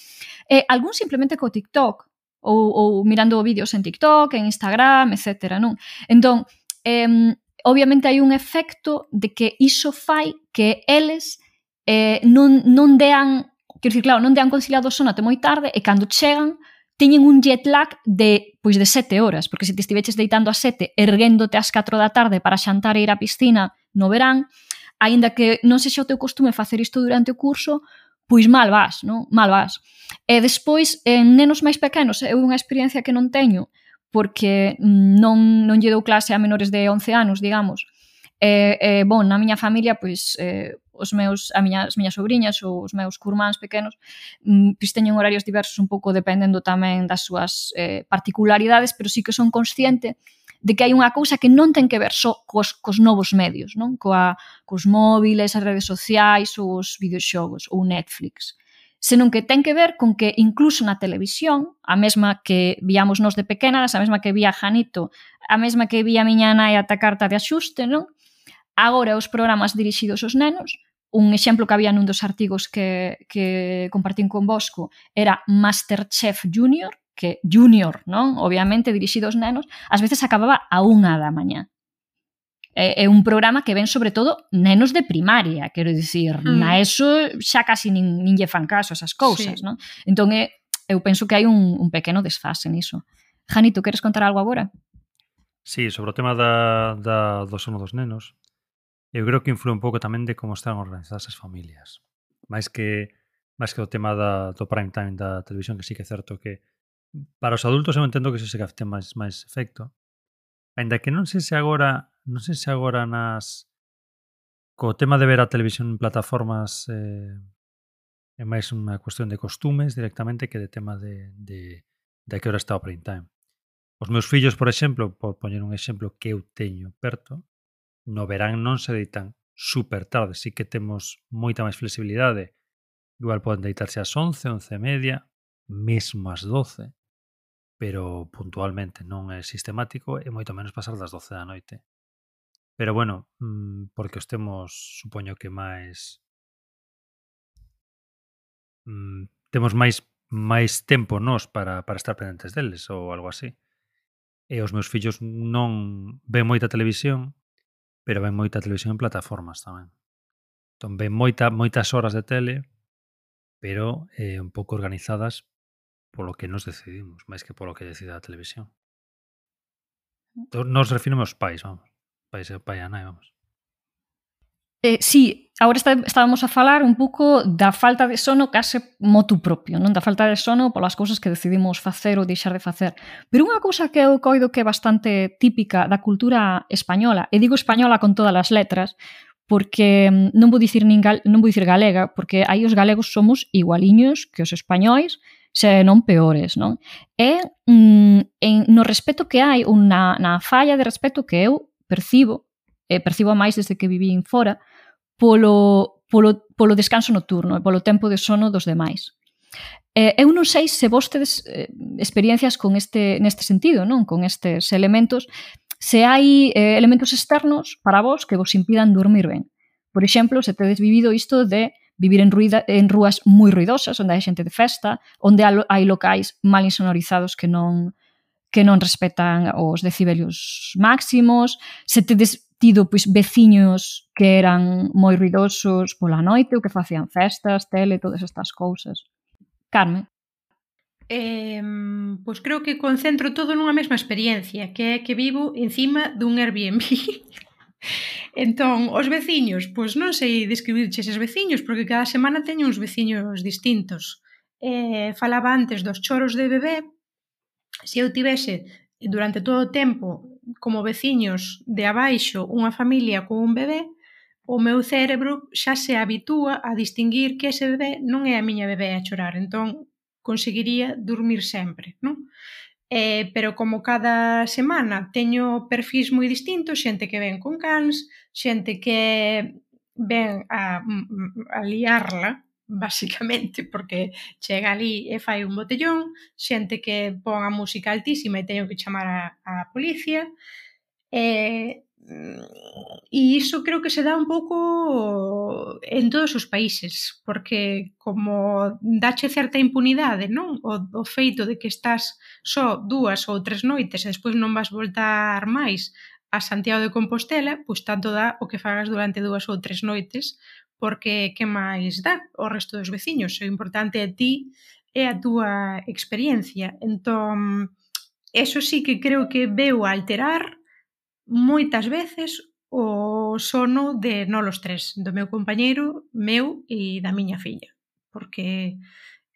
eh, algún simplemente co TikTok, ou, ou mirando vídeos en TikTok, en Instagram, etcétera, non? Entón, eh, obviamente hai un efecto de que iso fai que eles eh, non, non dean. Quero dicir, claro, non dean conciliado o sono até moi tarde e cando chegan teñen un jet lag de, pois de sete horas, porque se te estiveches deitando a sete, erguéndote ás catro da tarde para xantar e ir á piscina no verán, aínda que non sexa o teu costume facer isto durante o curso, pois mal vas, non? Mal vas. E despois, en nenos máis pequenos, é unha experiencia que non teño, porque non, non lle dou clase a menores de once anos, digamos. E, e bon, na miña familia, pois, eh, os meus, a miña, as miñas sobrinhas ou os meus curmáns pequenos pois teñen horarios diversos un pouco dependendo tamén das súas eh, particularidades, pero sí que son consciente de que hai unha cousa que non ten que ver só cos, cos novos medios, non? Coa, cos móviles, as redes sociais ou os videoxogos ou Netflix, senón que ten que ver con que incluso na televisión, a mesma que víamos nos de pequenas, a mesma que vía Janito, a mesma que vía a miña nai ata carta de axuste, non? Agora os programas dirixidos aos nenos, un exemplo que había nun dos artigos que, que compartín con Bosco era Masterchef Junior, que Junior, non? Obviamente dirixido aos nenos, ás veces acababa a unha da mañá. É, é un programa que ven sobre todo nenos de primaria, quero dicir, mm. na ESO xa casi nin, nin lle fan caso esas cousas, sí. Non? Entón, é, eu penso que hai un, un pequeno desfase niso. Janito, queres contar algo agora? Sí, sobre o tema da, da, do sono dos nenos, eu creo que influe un pouco tamén de como están organizadas as familias. Mais que máis que o tema da, do prime time da televisión, que sí que é certo que para os adultos eu entendo que iso se que ten máis, máis efecto. Ainda que non sei se agora non sei se agora nas co tema de ver a televisión en plataformas eh, é máis unha cuestión de costumes directamente que de tema de, de, de que hora está o prime time. Os meus fillos, por exemplo, por poñer un exemplo que eu teño perto, no verán non se deitan super tarde, sí que temos moita máis flexibilidade. Igual poden deitarse ás once, once e media, mesmo ás doce, pero puntualmente non é sistemático e moito menos pasar das doce da noite. Pero bueno, porque os temos, supoño que máis mm, temos máis máis tempo nós para, para estar pendentes deles ou algo así. E os meus fillos non ven moita televisión, pero ven moita televisión en plataformas tamén. Entón ven moita, moitas horas de tele, pero eh, un pouco organizadas polo que nos decidimos, máis que polo que decida a televisión. Entón, nos referimos aos pais, vamos. Pais e pai e nai, vamos. Eh, sí, agora está, estábamos a falar un pouco da falta de sono case motu propio, non? Da falta de sono polas cousas que decidimos facer ou deixar de facer. Pero unha cousa que eu coido que é bastante típica da cultura española, e digo española con todas as letras, porque non vou dicir, nin gal, non vou dicir galega, porque aí os galegos somos igualiños que os españois, se non peores, non? E mm, en, no respeto que hai, unha, na falla de respeto que eu percibo, e percibo máis desde que vivín fora, polo, polo, polo descanso nocturno e polo tempo de sono dos demais. Eh, eu non sei se vos tedes eh, experiencias con este, neste sentido, non? Con estes elementos, se hai eh, elementos externos para vos que vos impidan dormir ben. Por exemplo, se tedes vivido isto de vivir en, ruida, en rúas moi ruidosas, onde hai xente de festa, onde hai locais mal insonorizados que non que non respetan os decibelios máximos, se tedes tido pois veciños que eran moi ruidosos pola noite ou que facían festas, tele, todas estas cousas. Carmen? Eh, pois creo que concentro todo nunha mesma experiencia, que é que vivo encima dun Airbnb. Entón, os veciños, pois non sei describirche eses veciños, porque cada semana teño uns veciños distintos. Eh, falaba antes dos choros de bebé. Se eu tivese durante todo o tempo como veciños de abaixo unha familia con un bebé, o meu cerebro xa se habitúa a distinguir que ese bebé non é a miña bebé a chorar, entón conseguiría dormir sempre, non? Eh, pero como cada semana teño perfis moi distintos, xente que ven con cans, xente que ven a, a liarla, basicamente, porque chega ali e fai un botellón, xente que pon a música altísima e teño que chamar a, a policía, e, e iso creo que se dá un pouco en todos os países, porque como dache certa impunidade, non? O, o feito de que estás só dúas ou tres noites e despois non vas voltar máis a Santiago de Compostela, pois tanto dá o que fagas durante dúas ou tres noites, porque que máis dá o resto dos veciños? O importante é ti e a túa experiencia. Entón, eso sí que creo que veu a alterar moitas veces o sono de nós os tres, do meu compañeiro, meu e da miña filla, porque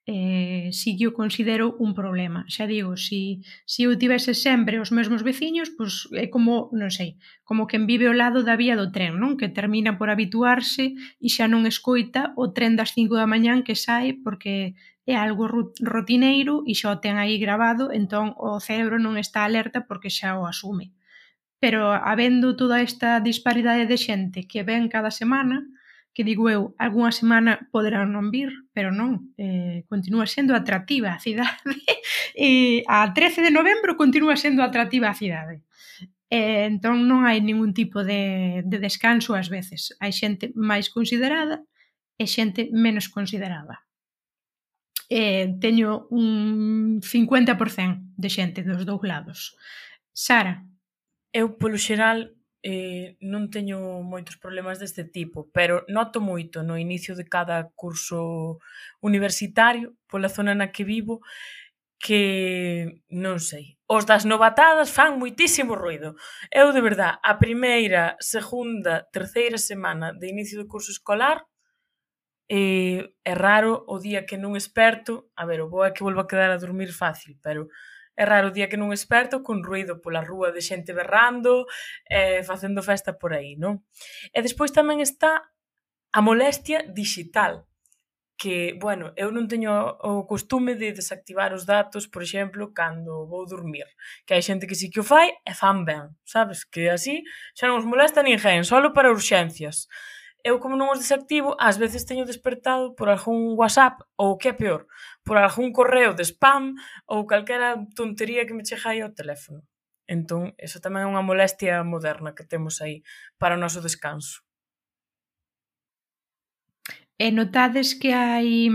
eh, sí que o considero un problema. Xa digo, si, si eu tivese sempre os mesmos veciños, pois é como, non sei, como quen vive ao lado da vía do tren, non? Que termina por habituarse e xa non escoita o tren das cinco da mañán que sae porque é algo rotineiro e xa o ten aí gravado, entón o cerebro non está alerta porque xa o asume. Pero habendo toda esta disparidade de xente que ven cada semana, que digo eu, algunha semana poderán non vir, pero non, eh, continúa sendo atractiva a cidade. E a trece de novembro continúa sendo atractiva a cidade. E, entón non hai ningún tipo de, de descanso ás veces. Hai xente máis considerada e xente menos considerada. E teño un cincuenta por cento de xente dos dous lados. Sara? Eu, polo xeral, eh, non teño moitos problemas deste tipo, pero noto moito no inicio de cada curso universitario, pola zona na que vivo, que, non sei, os das novatadas fan moitísimo ruido. Eu, de verdad, a primeira, segunda, terceira semana de inicio de curso escolar, eh, é raro o día que non esperto, a ver, o bo é que volvo a quedar a dormir fácil, pero é raro o día que non esperto con ruido pola rúa de xente berrando, eh, facendo festa por aí, non? E despois tamén está a molestia digital, que, bueno, eu non teño o costume de desactivar os datos, por exemplo, cando vou dormir, que hai xente que sí que o fai e fan ben, sabes? Que así xa non os molesta ninguén, solo para urxencias. Eu, como non os desactivo, ás veces teño despertado por algún WhatsApp, ou que é peor, por algún correo de spam, ou calquera tontería que me chega aí ao teléfono. Entón, eso tamén é unha molestia moderna que temos aí para o noso descanso. E notades que hai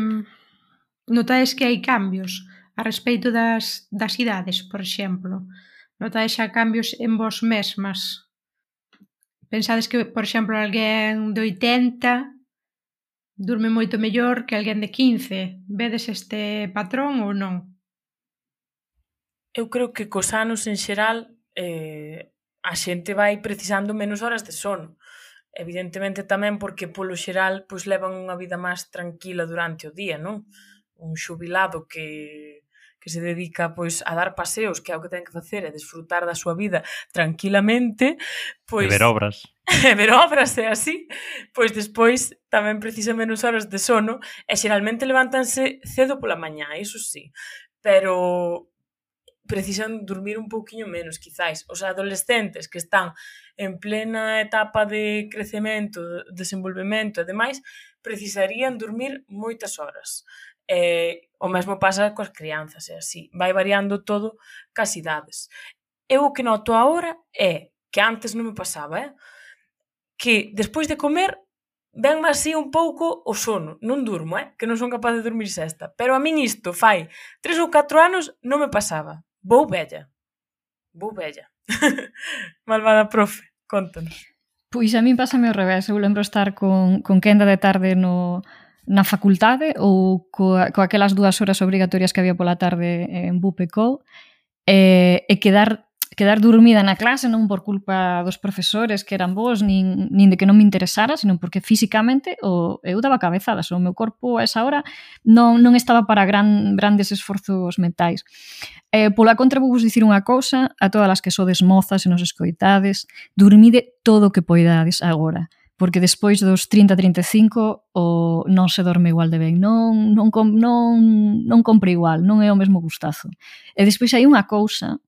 notades que hai cambios a respeito das, das idades, por exemplo? Notades xa cambios en vos mesmas? Pensades que, por exemplo, alguén de oitenta durme moito mellor que alguén de quince? Vedes este patrón ou non? Eu creo que cos anos en xeral eh, a xente vai precisando menos horas de sono. Evidentemente tamén porque polo xeral pois levan unha vida máis tranquila durante o día, non? Un xubilado que que se dedica pois a dar paseos, que é o que ten que facer, é desfrutar da súa vida tranquilamente, pois E ver obras. e ver obras e así, pois despois tamén precisa menos horas de sono e xeralmente levántanse cedo pola mañá, iso sí, pero precisan dormir un pouquiño menos, quizáis. Os adolescentes que están en plena etapa de crecemento, desenvolvemento e demais, precisarían dormir moitas horas. Eh, o mesmo pasa coas crianzas, é así. Vai variando todo cas idades. Eu o que noto agora é, que antes non me pasaba, eh? que despois de comer venme así un pouco o sono. Non durmo, eh? que non son capaz de dormir sesta. Pero a min isto fai tres ou catro anos non me pasaba. Vou vella. Vou vella. Malvada profe, contanos. Pois a min pásame ao revés. Eu lembro estar con, con quenda de tarde no, na facultade ou coa, coa aquelas dúas horas obrigatorias que había pola tarde en B U P E C O e, e quedar quedar dormida na clase non por culpa dos profesores que eran bons, nin, nin de que non me interesara, sino porque físicamente o, eu daba cabezadas, o meu corpo a esa hora non, non estaba para gran, grandes esforzos mentais. Eh, pola contra vou vos dicir unha cousa a todas as que sodes mozas e nos escoitades, dormide todo o que poidades agora, porque despois dos trinta a trinta e cinco o non se dorme igual de ben, non, non, non, non compre igual, non é o mesmo gustazo. E despois hai unha cousa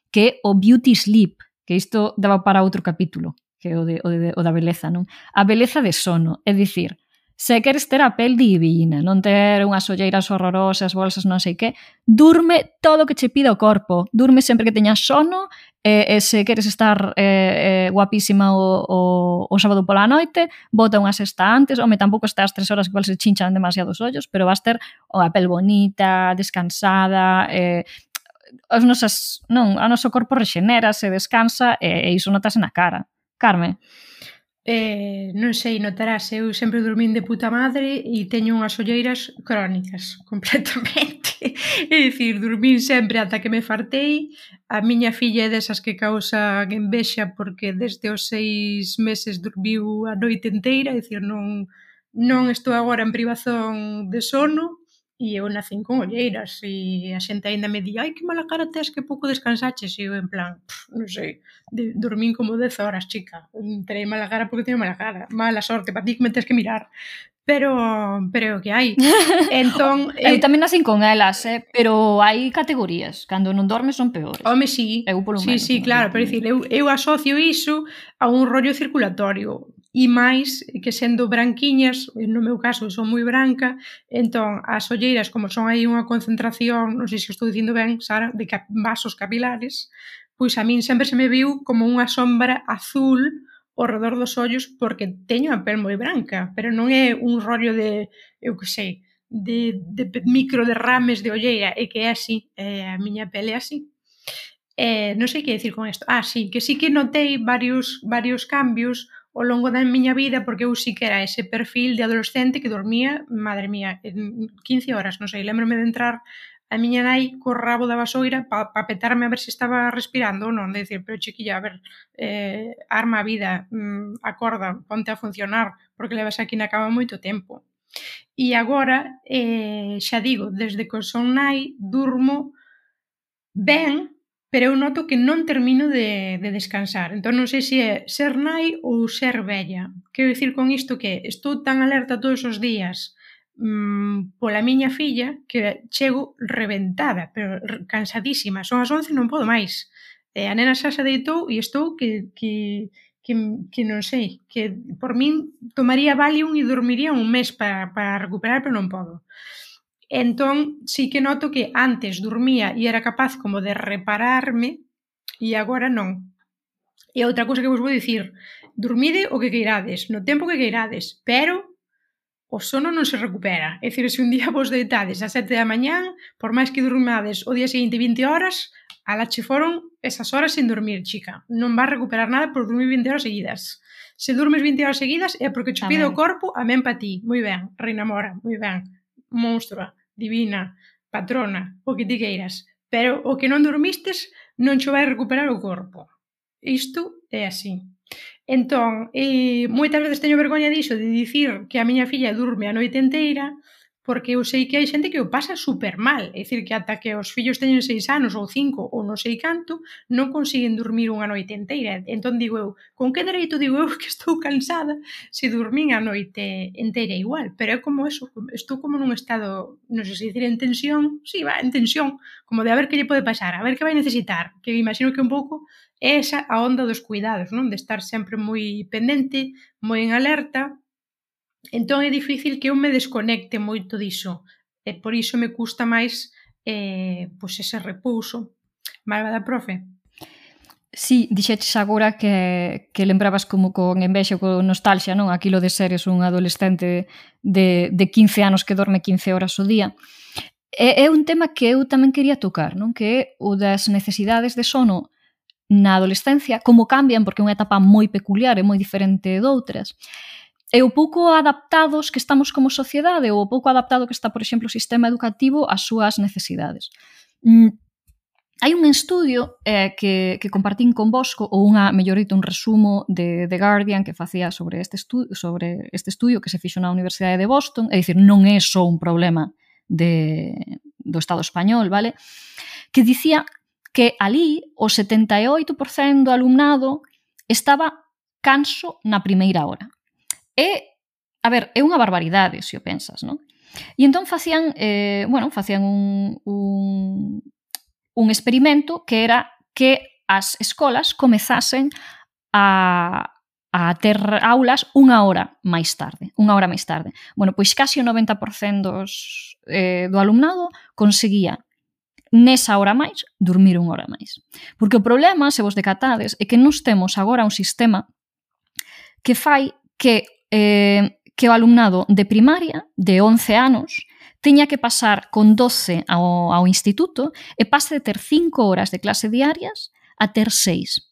que é o beauty sleep, que isto daba para outro capítulo, que é o, de, o, de, o da beleza, non? A beleza de sono, é dicir, se queres ter a pel divina, non ter unhas olleiras horrorosas, bolsas non sei que, durme todo o que che pida o corpo, durme sempre que teñas sono, e, e se queres estar eh, eh, guapísima o, o, o sábado pola noite, bota unha sesta antes, home, tampouco estás tres horas que igual se chinchan demasiados ollos, pero vas ter a pel bonita, descansada, eh, as nosas, non, a noso corpo rexenera, se descansa e, e iso notase na cara. Carme? Eh, non sei, notarás, eu sempre dormín de puta madre e teño unhas olleiras crónicas, completamente. É dicir, dormín sempre ata que me fartei. A miña filla é desas que causan envexa porque desde os seis meses dormiu a noite inteira, é dicir, non, non estou agora en privazón de sono. E eu nacín con olleiras e a xente aínda me di ai, que mala cara tes, que pouco descansaches, e eu en plan, pff, non sei, de, dormín como dez horas, chica, terei mala cara porque teño mala cara, mala sorte, para ti que me tes que mirar, pero pero o que hai. Entón, eu eh, tamén nacín con elas, eh, pero hai categorías, cando non dormes son peores. Home, sí, eu polo sí, menos, sí, claro, pero dicir, eu, eu asocio iso a un rollo circulatorio. e máis que sendo branquiñas, no meu caso son moi branca, entón as olleiras, como son aí unha concentración, non sei se estou dicindo ben, Sara, de cap vasos capilares, pois a min sempre se me viu como unha sombra azul ao redor dos ollos porque teño a pel moi branca, pero non é un rollo de, eu que sei, de, de micro derrames de olleira, é que é así, é, a miña pele é así. Eh, non sei que decir con isto. Ah, sí, que sí que notei varios, varios cambios ao longo da miña vida, porque eu sí que era ese perfil de adolescente que dormía, madre mía, en quince horas, non sei, lembrome de entrar a miña nai co rabo da vasoira para pa petarme a ver se estaba respirando ou non, de decir, pero chiquilla, a ver, eh, arma a vida, mm, acorda, ponte a funcionar, porque levas aquí na cama moito tempo. E agora, eh, xa digo, desde que son nai, durmo ben, pero eu noto que non termino de, de descansar. Entón non sei se é ser nai ou ser vella. Quero dicir con isto que estou tan alerta todos os días mmm, pola miña filla que chego reventada, pero cansadísima. Son as once e non podo máis. E a nena xa se deitou e estou que, que, que, que non sei, que por min tomaría Valium e dormiría un mes para, para recuperar, pero non podo. Entón, sí que noto que antes dormía e era capaz como de repararme e agora non. E outra cousa que vos vou dicir, dormide o que queirades, no tempo que queirades, pero o sono non se recupera. É dicir, se un día vos deitades a sete da mañán, por máis que dormades o día seguinte vinte horas, ala che foron esas horas sin dormir, chica. Non vas recuperar nada por dormir vinte horas seguidas. Se dormes vinte horas seguidas é porque che pide o corpo, amén pa ti. Moi ben, reina mora, moi ben. Monstrua, divina, patrona, o que ti queiras. Pero o que non dormistes non che vai recuperar o corpo. Isto é así. Entón, eh, moitas veces teño vergoña diso de dicir que a miña filla durme a noite enteira porque eu sei que hai xente que o pasa super mal. É dicir, que ata que os fillos teñen seis anos ou cinco ou non sei canto, non consiguen dormir unha noite enteira. Entón digo eu, con que dereito digo eu que estou cansada se dormín a noite enteira igual? Pero é como eso, estou como nun estado, non sei se dicir en tensión, sí, va, en tensión, como de a ver que lle pode pasar, a ver que vai necesitar, que imagino que un pouco é esa a onda dos cuidados, non? De estar sempre moi pendente, moi en alerta. Entón é difícil que eu me desconecte moito diso. E por iso me custa máis eh, pois ese repouso. Malvada profe? Sí, dixeches agora que, que lembrabas como con envexa ou con nostalgia, non? Aquilo de seres un adolescente de, de quince anos que dorme quince horas ao día. É, é un tema que eu tamén quería tocar, non? Que é o das necesidades de sono na adolescencia, como cambian, porque é unha etapa moi peculiar e moi diferente doutras. E o pouco adaptados que estamos como sociedade ou o pouco adaptado que está, por exemplo, o sistema educativo ás súas necesidades. Mm, hai un estudio eh, que, que compartín con vosco, ou unha, mellor dito, un resumo de The Guardian que facía sobre este, estu sobre este estudio que se fixo na Universidade de Boston, é dicir, non é só un problema de, do Estado español, vale? Que dicía que ali o setenta e oito por cento do alumnado estaba canso na primeira hora. É, a ver, é unha barbaridade, se o pensas, non? E entón facían, eh, bueno, facían un, un, un experimento que era que as escolas comezasen a, a ter aulas unha hora máis tarde, unha hora máis tarde. Bueno, pois casi o noventa por cento dos, eh, do alumnado conseguía nesa hora máis dormir unha hora máis. Porque o problema, se vos decatades, é que nos temos agora un sistema que fai que Eh, que o alumnado de primaria de once anos teña que pasar con doce ao, ao instituto e pase de ter cinco horas de clase diarias a ter seis,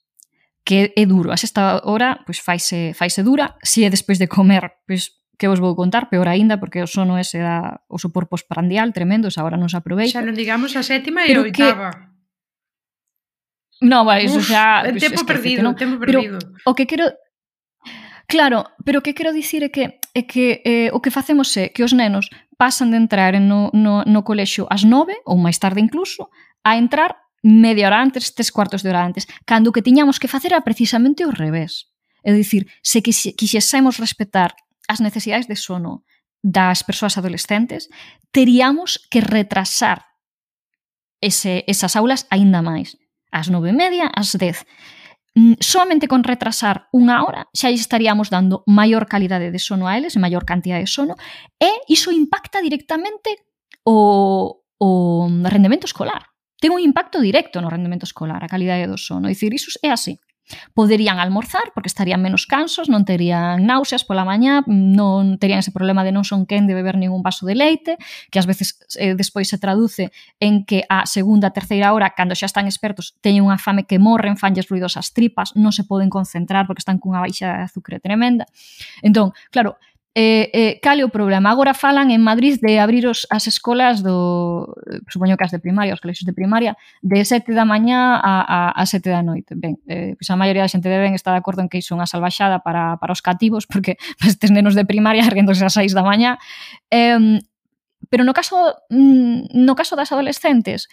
que é duro. A sexta hora pois faise, faise dura. Se é despois de comer, pois que vos vou contar, peor aínda, porque o sono ese dá o sopor postprandial tremendo, esa hora non se aproveita. Xa non digamos a sétima e a oitava. Que... No, vale, iso xa... Uf, tempo perdido, no? tempo perdido. Pero o que quero... Claro, pero o que quero dicir é que, é que eh, o que facemos é que os nenos pasan de entrar no, no, no colexio ás nove, ou máis tarde incluso, a entrar media hora antes, tres cuartos de hora antes, cando o que tiñamos que facer era precisamente o revés. É dicir, se quixésemos respetar as necesidades de sono das persoas adolescentes, teríamos que retrasar ese, esas aulas aínda máis. Ás nove e media, ás dez. Solamente con retrasar unha hora xa estaríamos dando maior calidade de sono a eles, maior cantidad de sono, e iso impacta directamente o, o rendemento escolar. Ten un impacto directo no rendemento escolar, a calidade do sono. Dicir, iso é así. Poderían almorzar porque estarían menos cansos, non terían náuseas pola mañá, non terían ese problema de non son quen de beber ningún vaso de leite, que ás veces eh, despois se traduce en que a segunda, terceira hora, cando xa están expertos, teñen unha fame que morren, fanlles ruidos as tripas, non se poden concentrar porque están cunha baixa de azúcar tremenda. Entón, claro, Eh, eh, cal é o problema? Agora falan en Madrid de abrir os, as escolas do, supoño que as de primaria, os colexios de primaria, de sete da mañá a, a, a sete da noite. Ben, eh, pois a maioría da xente deben estar de acordo en que iso é unha salvaxada para, para os cativos, porque estes nenos de primaria erguéndose ás seis da mañá. Eh, pero no caso, no caso das adolescentes,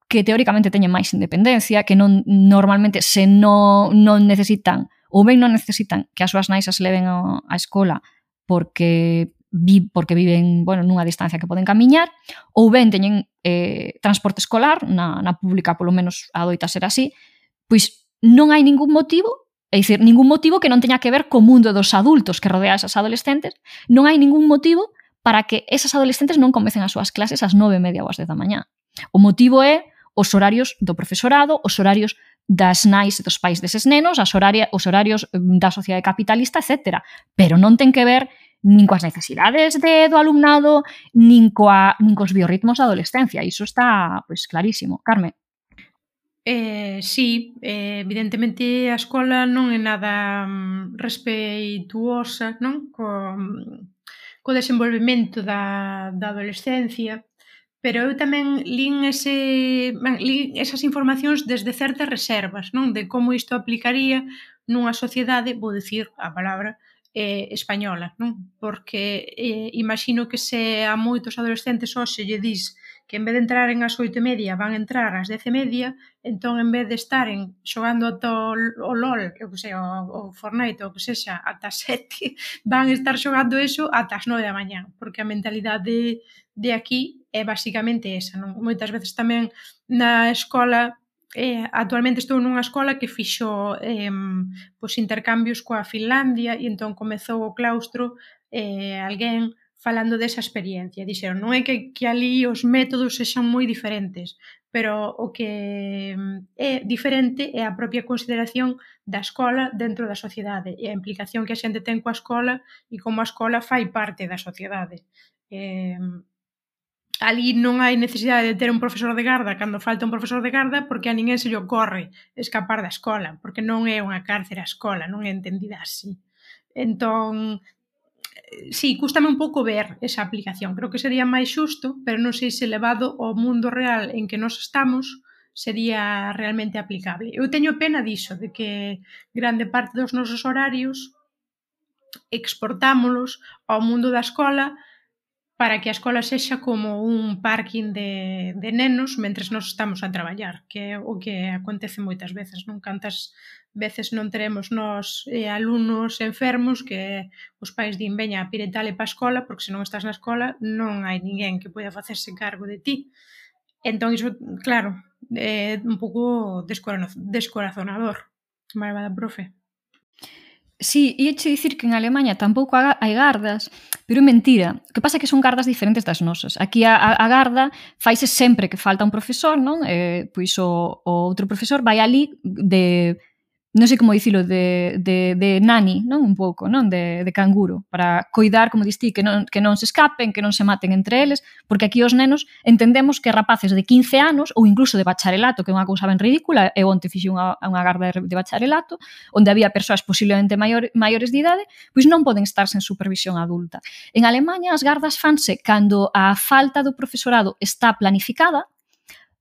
que teóricamente teñen máis independencia, que non normalmente se non, non necesitan, ou ben non necesitan que as súas nais as leven a, a escola, porque vi, porque viven, bueno, nunha distancia que poden camiñar, ou ben teñen eh, transporte escolar, na, na pública polo menos adoita ser así, pois non hai ningún motivo, é dicir, ningún motivo que non teña que ver co mundo dos adultos que rodea esas adolescentes, non hai ningún motivo para que esas adolescentes non comecen as súas clases ás nove e media ou ás dez da mañá. O motivo é os horarios do profesorado, os horarios das nais e dos pais deses nenos, as horaria, os horarios da sociedade capitalista, etcétera. Pero non ten que ver nin coas necesidades de, do alumnado, nin, coa, nin cos biorritmos da adolescencia. Iso está, pois, clarísimo. Carme? Eh, sí, eh, evidentemente a escola non é nada um, respeituosa, non? Co, co desenvolvemento da, da adolescencia, pero eu tamén lín, ese, lín esas informacións desde certas reservas, non? De como isto aplicaría nunha sociedade, vou dicir a palabra, eh, española, non? Porque eh, imagino que se a moitos adolescentes hoxe lle dis que en vez de entrar en as oito e media van entrar ás dez e media, entón en vez de estaren xogando ata o LOL, eu que sei, o, o Fortnite, ou que sexa, ata as sete, van estar xogando eso ata as nove da mañá, porque a mentalidade de aquí é basicamente esa, non? Moitas veces tamén na escola, eh, actualmente estou nunha escola que fixo eh, pois intercambios coa Finlandia e entón comezou o claustro eh, alguén falando desa experiencia. Dixeron, non é que, que ali os métodos sexan moi diferentes, pero o que é diferente é a propia consideración da escola dentro da sociedade e a implicación que a xente ten coa escola e como a escola fai parte da sociedade. Eh, ali non hai necesidade de ter un profesor de garda cando falta un profesor de garda porque a ninguén se lle ocorre escapar da escola, porque non é unha cárcere a escola, non é entendida así. Entón, sí, cústame un pouco ver esa aplicación. Creo que sería máis xusto, pero non sei se levado ao mundo real en que nos estamos sería realmente aplicable. Eu teño pena diso, de que grande parte dos nosos horarios exportámolos ao mundo da escola para que a escola sexa como un parking de, de nenos mentres nos estamos a traballar, que é o que acontece moitas veces, non? Cantas veces non teremos nos eh, alumnos enfermos que os pais din veña a piretale pa a escola porque se non estás na escola non hai ninguén que poida facerse cargo de ti. Entón iso, claro, é un pouco descorazonador. Malvada profe. Sí, ia che dicir que en Alemanha tampouco hai gardas, pero é mentira. O que pasa é que son gardas diferentes das nosas. Aquí a, a garda faise sempre que falta un profesor, non? Eh, pois o, o outro profesor vai ali de, non sei como dicilo, de, de, de nani, non? Un pouco, non? De, de canguro, para coidar, como distí, que non, que non se escapen, que non se maten entre eles, porque aquí os nenos entendemos que rapaces de quince anos, ou incluso de bacharelato, que é unha cousa ben ridícula, eu onte fixe unha, unha garda de bacharelato, onde había persoas posiblemente maior, maiores de idade, pois non poden estar sen supervisión adulta. En Alemanha, as gardas fanse cando a falta do profesorado está planificada,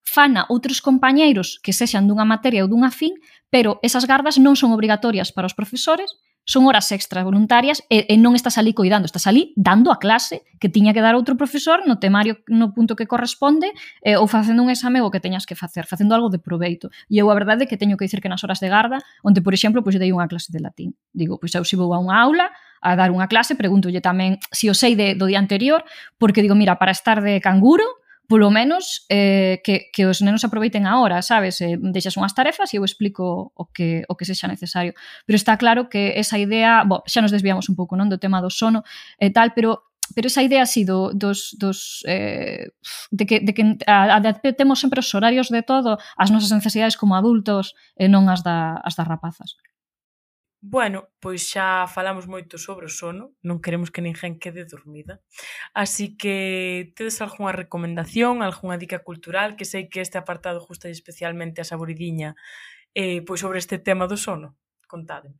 fana outros compañeiros que sexan dunha materia ou dunha fin, pero esas gardas non son obrigatorias para os profesores, son horas extras voluntarias e, e non estás ali coidando, estás ali dando a clase que tiña que dar outro profesor no temario no punto que corresponde eh, ou facendo un exame o que teñas que facer, facendo algo de proveito. E eu a verdade é que teño que dicir que nas horas de garda, onde, por exemplo, pois dei unha clase de latín. Digo, pois eu se vou a unha aula a dar unha clase, pregúntolle tamén se o sei de, do día anterior, porque digo, mira, para estar de canguro, polo menos eh, que, que os nenos aproveiten a hora, sabes? Eh, deixas unhas tarefas e eu explico o que, o que sexa necesario. Pero está claro que esa idea, bo, xa nos desviamos un pouco, non, do tema do sono e tal, pero pero esa idea así do, dos, dos eh, de que, de que a, a, temos sempre os horarios de todo, as nosas necesidades como adultos e non as, da, as das rapazas. Bueno, pois xa falamos moito sobre o sono, non queremos que ninguén quede dormida. Así que tedes algunha recomendación, algunha dica cultural, que sei que este apartado gusta especialmente a Saboridiña, eh, pois sobre este tema do sono. Contádeme.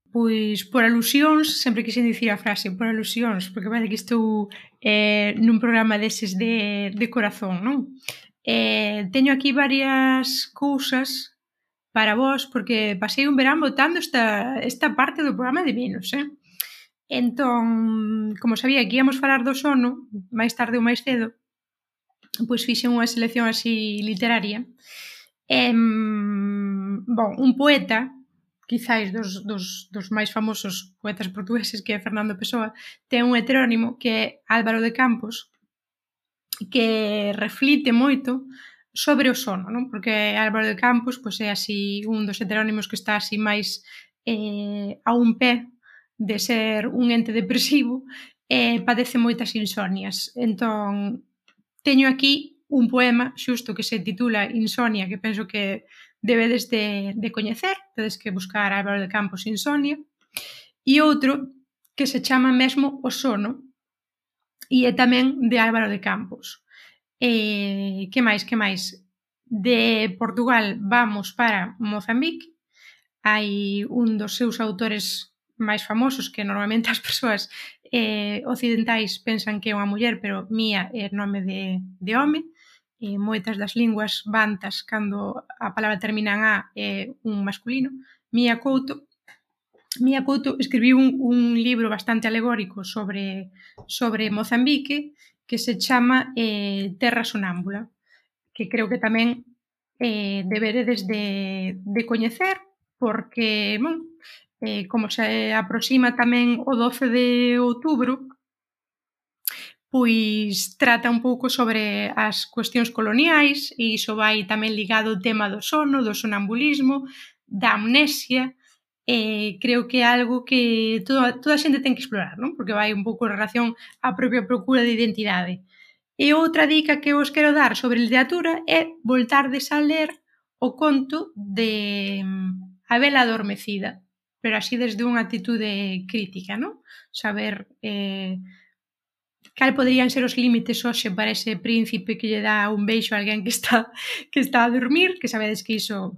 Pois por alusións, sempre quixen dicir a frase por alusións, porque vale que estou eh, nun programa deses de, de corazón, non? Eh, teño aquí varias cousas para vos, porque pasei un verán botando esta, esta parte do programa de menos, eh? Entón, como sabía que íamos falar do sono, máis tarde ou máis cedo, pois fixen unha selección así literaria. Eh, bon, un poeta, quizáis dos, dos, dos máis famosos poetas portugueses, que é Fernando Pessoa, ten un heterónimo que é Álvaro de Campos, que reflite moito sobre o sono, non? Porque Álvaro de Campos pois, é así un dos heterónimos que está así máis eh, a un pé de ser un ente depresivo e padece moitas insomnias. Entón, teño aquí un poema xusto que se titula Insomnia, que penso que debedes de, de coñecer, tedes que buscar Álvaro de Campos Insomnia, e outro que se chama mesmo O sono, e é tamén de Álvaro de Campos. E, que máis, que máis? De Portugal vamos para Mozambique, hai un dos seus autores máis famosos, que normalmente as persoas eh, occidentais pensan que é unha muller, pero Mia é nome de, de home, e moitas das linguas bantas, cando a palabra termina en A, é un masculino. Mia Couto. Mia Couto escribiu un, un libro bastante alegórico sobre, sobre Mozambique, que se chama eh, Terra Sonámbula, que creo que tamén eh, deberedes de, de coñecer, porque, bon, eh, como se aproxima tamén o doce de outubro, pois trata un pouco sobre as cuestións coloniais, e iso vai tamén ligado ao tema do sono, do sonambulismo, da amnesia, e creo que é algo que toda, toda a xente ten que explorar, non? Porque vai un pouco en relación á propia procura de identidade. E outra dica que vos quero dar sobre literatura é voltardes a ler o conto de A vela adormecida, pero así desde unha atitude crítica, non? Saber eh, cal poderían ser os límites hoxe para ese príncipe que lle dá un beixo a alguén que está, que está a dormir, que sabedes que iso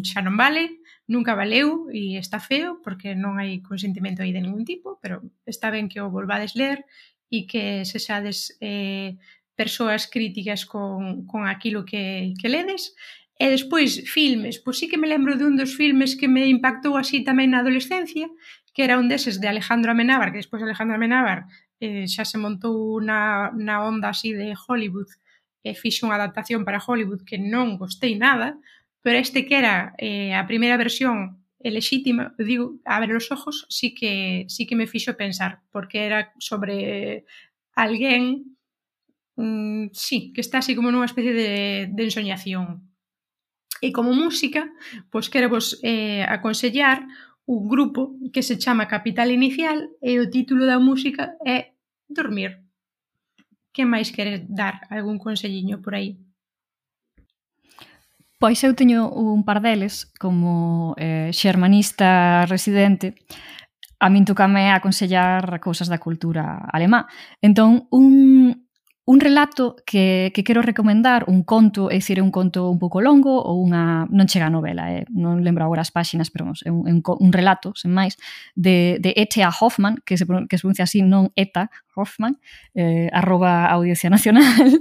xa non vale, nunca valeu e está feo porque non hai consentimento aí de ningún tipo, pero está ben que o volvades ler e que sexades eh, persoas críticas con, con aquilo que, que ledes. E despois, filmes, pois sí que me lembro de un dos filmes que me impactou así tamén na adolescencia, que era un deses de Alejandro Amenábar, que despois Alejandro Amenábar eh, xa se montou na, na onda así de Hollywood e fixe unha adaptación para Hollywood que non gostei nada, pero este que era eh, a primeira versión lexítima, digo, Abre os ojos, sí que, sí que me fixo pensar, porque era sobre alguén mm, sí, que está así como nunha especie de, de ensoñación. E como música, pois quero vos eh, aconsellar un grupo que se chama Capital Inicial e o título da música é Dormir. Que máis queres dar? Algún conselliño por aí? Pois eu teño un par deles como eh, xermanista residente. A min tocame aconsellar cousas da cultura alemá. Entón, un, un relato que, que quero recomendar, un conto, é dicir, é un conto un pouco longo ou unha... non chega a novela, eh? Non lembro agora as páxinas, pero é un, é un, un relato, sen máis, de, de E T A Hoffmann, que se, que se pronuncia así, non Eta Hoffmann, eh, arroba Audiencia Nacional.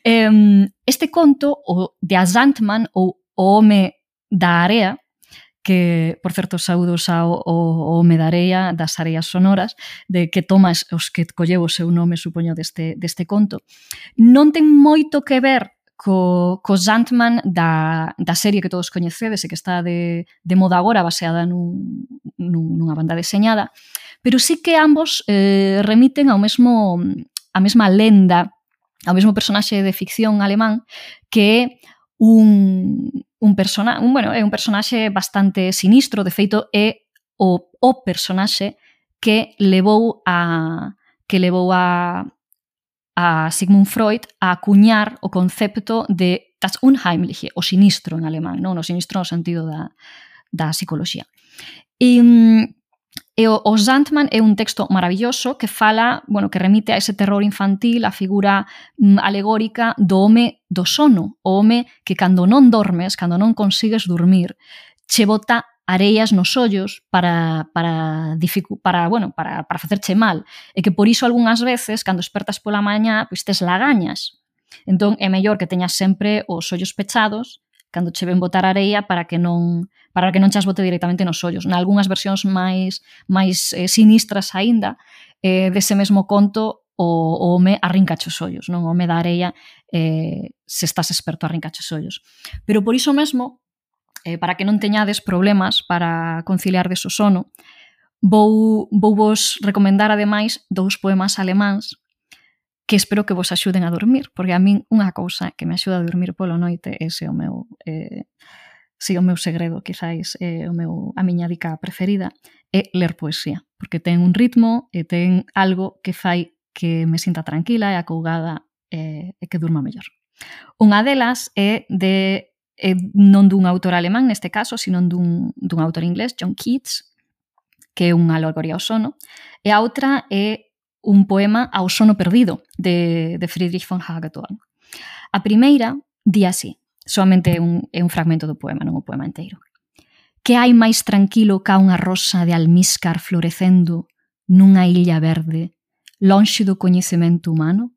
eh, este conto, o de A Sandman, ou o home da area, que, por certo, saúdos ao, ao home da area, das areas sonoras, de que tomas os que colleu o seu nome, supoño, deste, deste conto. Non ten moito que ver co, co Sandman da, da serie que todos coñecedes e que está de, de moda agora, baseada nun, nun, nunha banda deseñada, pero sí que ambos eh, remiten ao mesmo, a mesma lenda ao mesmo personaxe de ficción alemán que é un, un personaxe, un, bueno, é un personaxe bastante sinistro, de feito é o, o personaxe que levou a que levou a a Sigmund Freud a acuñar o concepto de das Unheimliche, o sinistro en alemán, non? O sinistro no sentido da, da psicoloxía. E, e o, o Sandman é un texto maravilloso que fala, bueno, que remite a ese terror infantil, a figura mm, alegórica do home do sono, o home que cando non dormes, cando non consigues dormir, che bota areias nos ollos para, para, dificu- para, bueno, para, para facerche mal. E que por iso algunhas veces, cando despertas pola mañá, pois tes lagañas. Entón é mellor que teñas sempre os ollos pechados cando che ven botar areia para que non para que non chas bote directamente nos ollos. Nalgúnas versións máis máis eh, sinistras aínda, eh, dese mesmo conto, o, o home arrincache os ollos, non? O home da areia, eh, se estás experto, arrincache os ollos. Pero por iso mesmo, eh, para que non teñades problemas para conciliar deso sono, vou, vou vos recomendar ademais dous poemas alemáns que espero que vos axuden a dormir, porque a min unha cousa que me axuda a dormir polo noite, ese é o meu, eh, si o meu segredo, quizáis, é o meu, a miña dica preferida, é ler poesía, porque ten un ritmo e ten algo que fai que me sinta tranquila e acougada e, e que durma mellor. Unha delas é de é non dun autor alemán neste caso, sino dun, dun autor inglés, John Keats, que é unha alegoría ao sono, e a outra é un poema ao sono perdido de, de Friedrich von Hagedorn. A primeira di así, solamente é un, é un fragmento do poema, non o poema inteiro. Que hai máis tranquilo ca unha rosa de almíscar florecendo nunha illa verde, lonxe do coñecemento humano?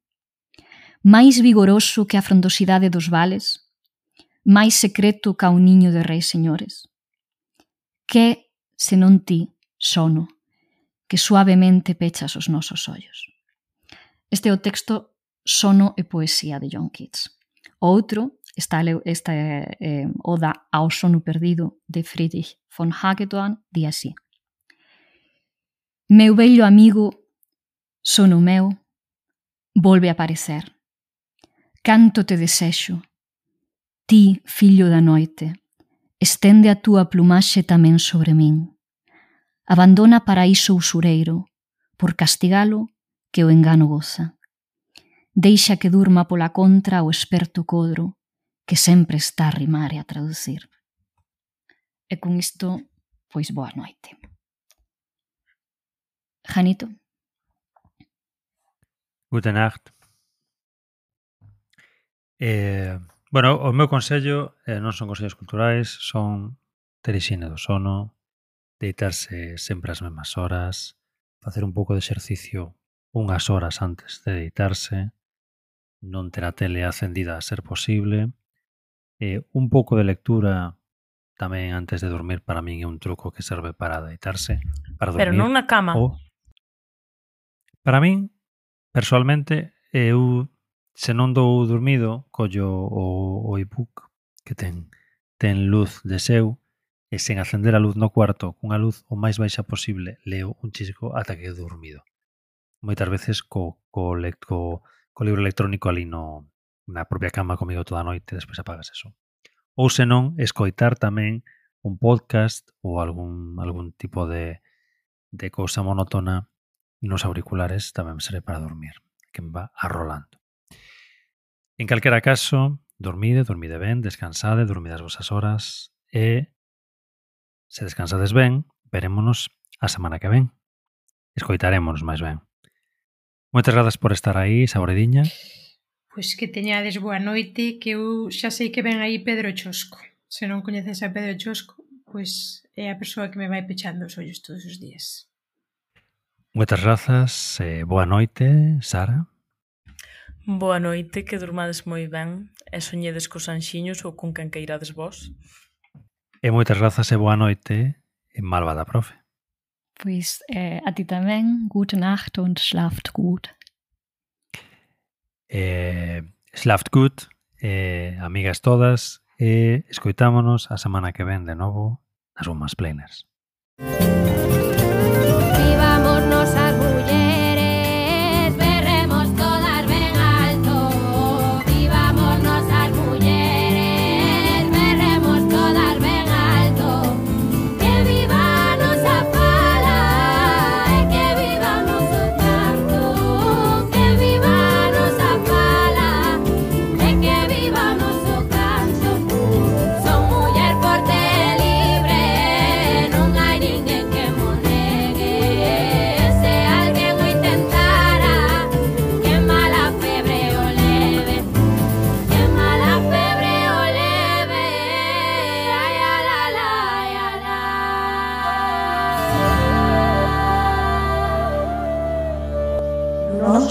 Máis vigoroso que a frondosidade dos vales? Máis secreto ca un niño de reis señores? Que, senón ti, sono, que suavemente pechas os nosos ollos? Este é o texto Sono e poesía de John Keats. O outro, esta, esta eh, oda ao sono perdido de Friedrich von Hagedorn, di así. Meu vello amigo, sono meu, volve a aparecer. Canto te desexo. Ti, fillo da noite, estende a túa plumaxe tamén sobre min. Abandona paraíso usureiro, por castigalo que o engano goza. Deixa que durma pola contra o esperto codro, que sempre está a rimar e a traducir. E con isto, pois boa noite. Janito? Gute Nacht. Eh, bueno, o meu consello eh, non son consellos culturais, son ter hixiene do sono, deitarse sempre ás mesmas horas, facer un pouco de exercicio unhas horas antes de deitarse, non ter a tele acendida a ser posible, eh, un pouco de lectura tamén antes de dormir para min é un truco que serve para deitarse, para dormir. Pero non na cama. O, para min, persoalmente, eu se non dou dormido, collo o, o e-book que ten, ten luz de seu e sen acender a luz no cuarto, cunha luz o máis baixa posible, leo un chisco ata que he dormido. Moitas veces co, co, co, co libro electrónico ali no, na propia cama comigo toda a noite, despois apagas eso. Ou senón, escoitar tamén un podcast ou algún, algún tipo de, de cousa monótona nos auriculares tamén me serve para dormir, que me va arrolando. En calquera caso, dormide, dormide ben, descansade, dormide as vosas horas e se descansades ben, verémonos a semana que ven. Escoitarémonos máis ben. Moitas grazas por estar aí, Saborediña. Pois que teñades boa noite, que eu xa sei que ven aí Pedro Chosco. Se non coñeces a Pedro Chosco, pois é a persoa que me vai pechando os ollos todos os días. Moitas grazas, eh, boa noite, Sara. Boa noite, que durmades moi ben e soñedes cos anxiños ou con quen queirades vós. E moitas grazas e boa noite, malvada profe. Pois eh, a ti tamén, gute Nacht und schlaft gut. Eh, schlaft gut, eh, amigas todas, e escoitámonos a semana que ven de novo nas Womansplainers. Vivámonos as mulleres, berremos todas ben alto.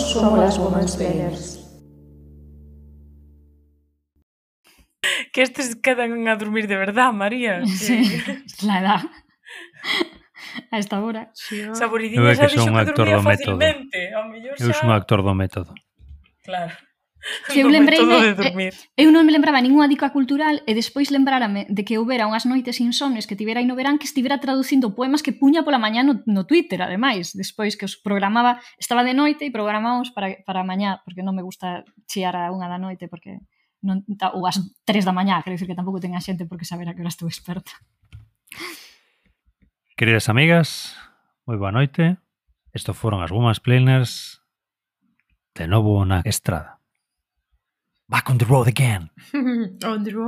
somos las Womansplainers. Que estes quedan a dormir de verdad, María. Sí, la edad. A esta hora. Sí, Esa Eu buridinha é xa que dixo son un que actor dormía do método. facilmente. Ao mellor Eu xa... son un actor do método. Claro. Que eu Do lembrei método de de, dormir. eu non me lembraba ningunha dica cultural e despois lembrárame de que houbera unhas noites insomnes que tivera aí no verán que estivera traducindo poemas que puña pola mañá no, no Twitter, ademais, despois que os programaba, estaba de noite e programábamos para, para mañá, porque non me gusta chiar a unha da noite, porque non, ou as tres da mañá, quero dicir que tampouco ten a xente porque saber a que hora estou experta. Queridas amigas, moi boa noite. Isto foron as Womansplainers de novo na estrada. Back on the road again. On the road.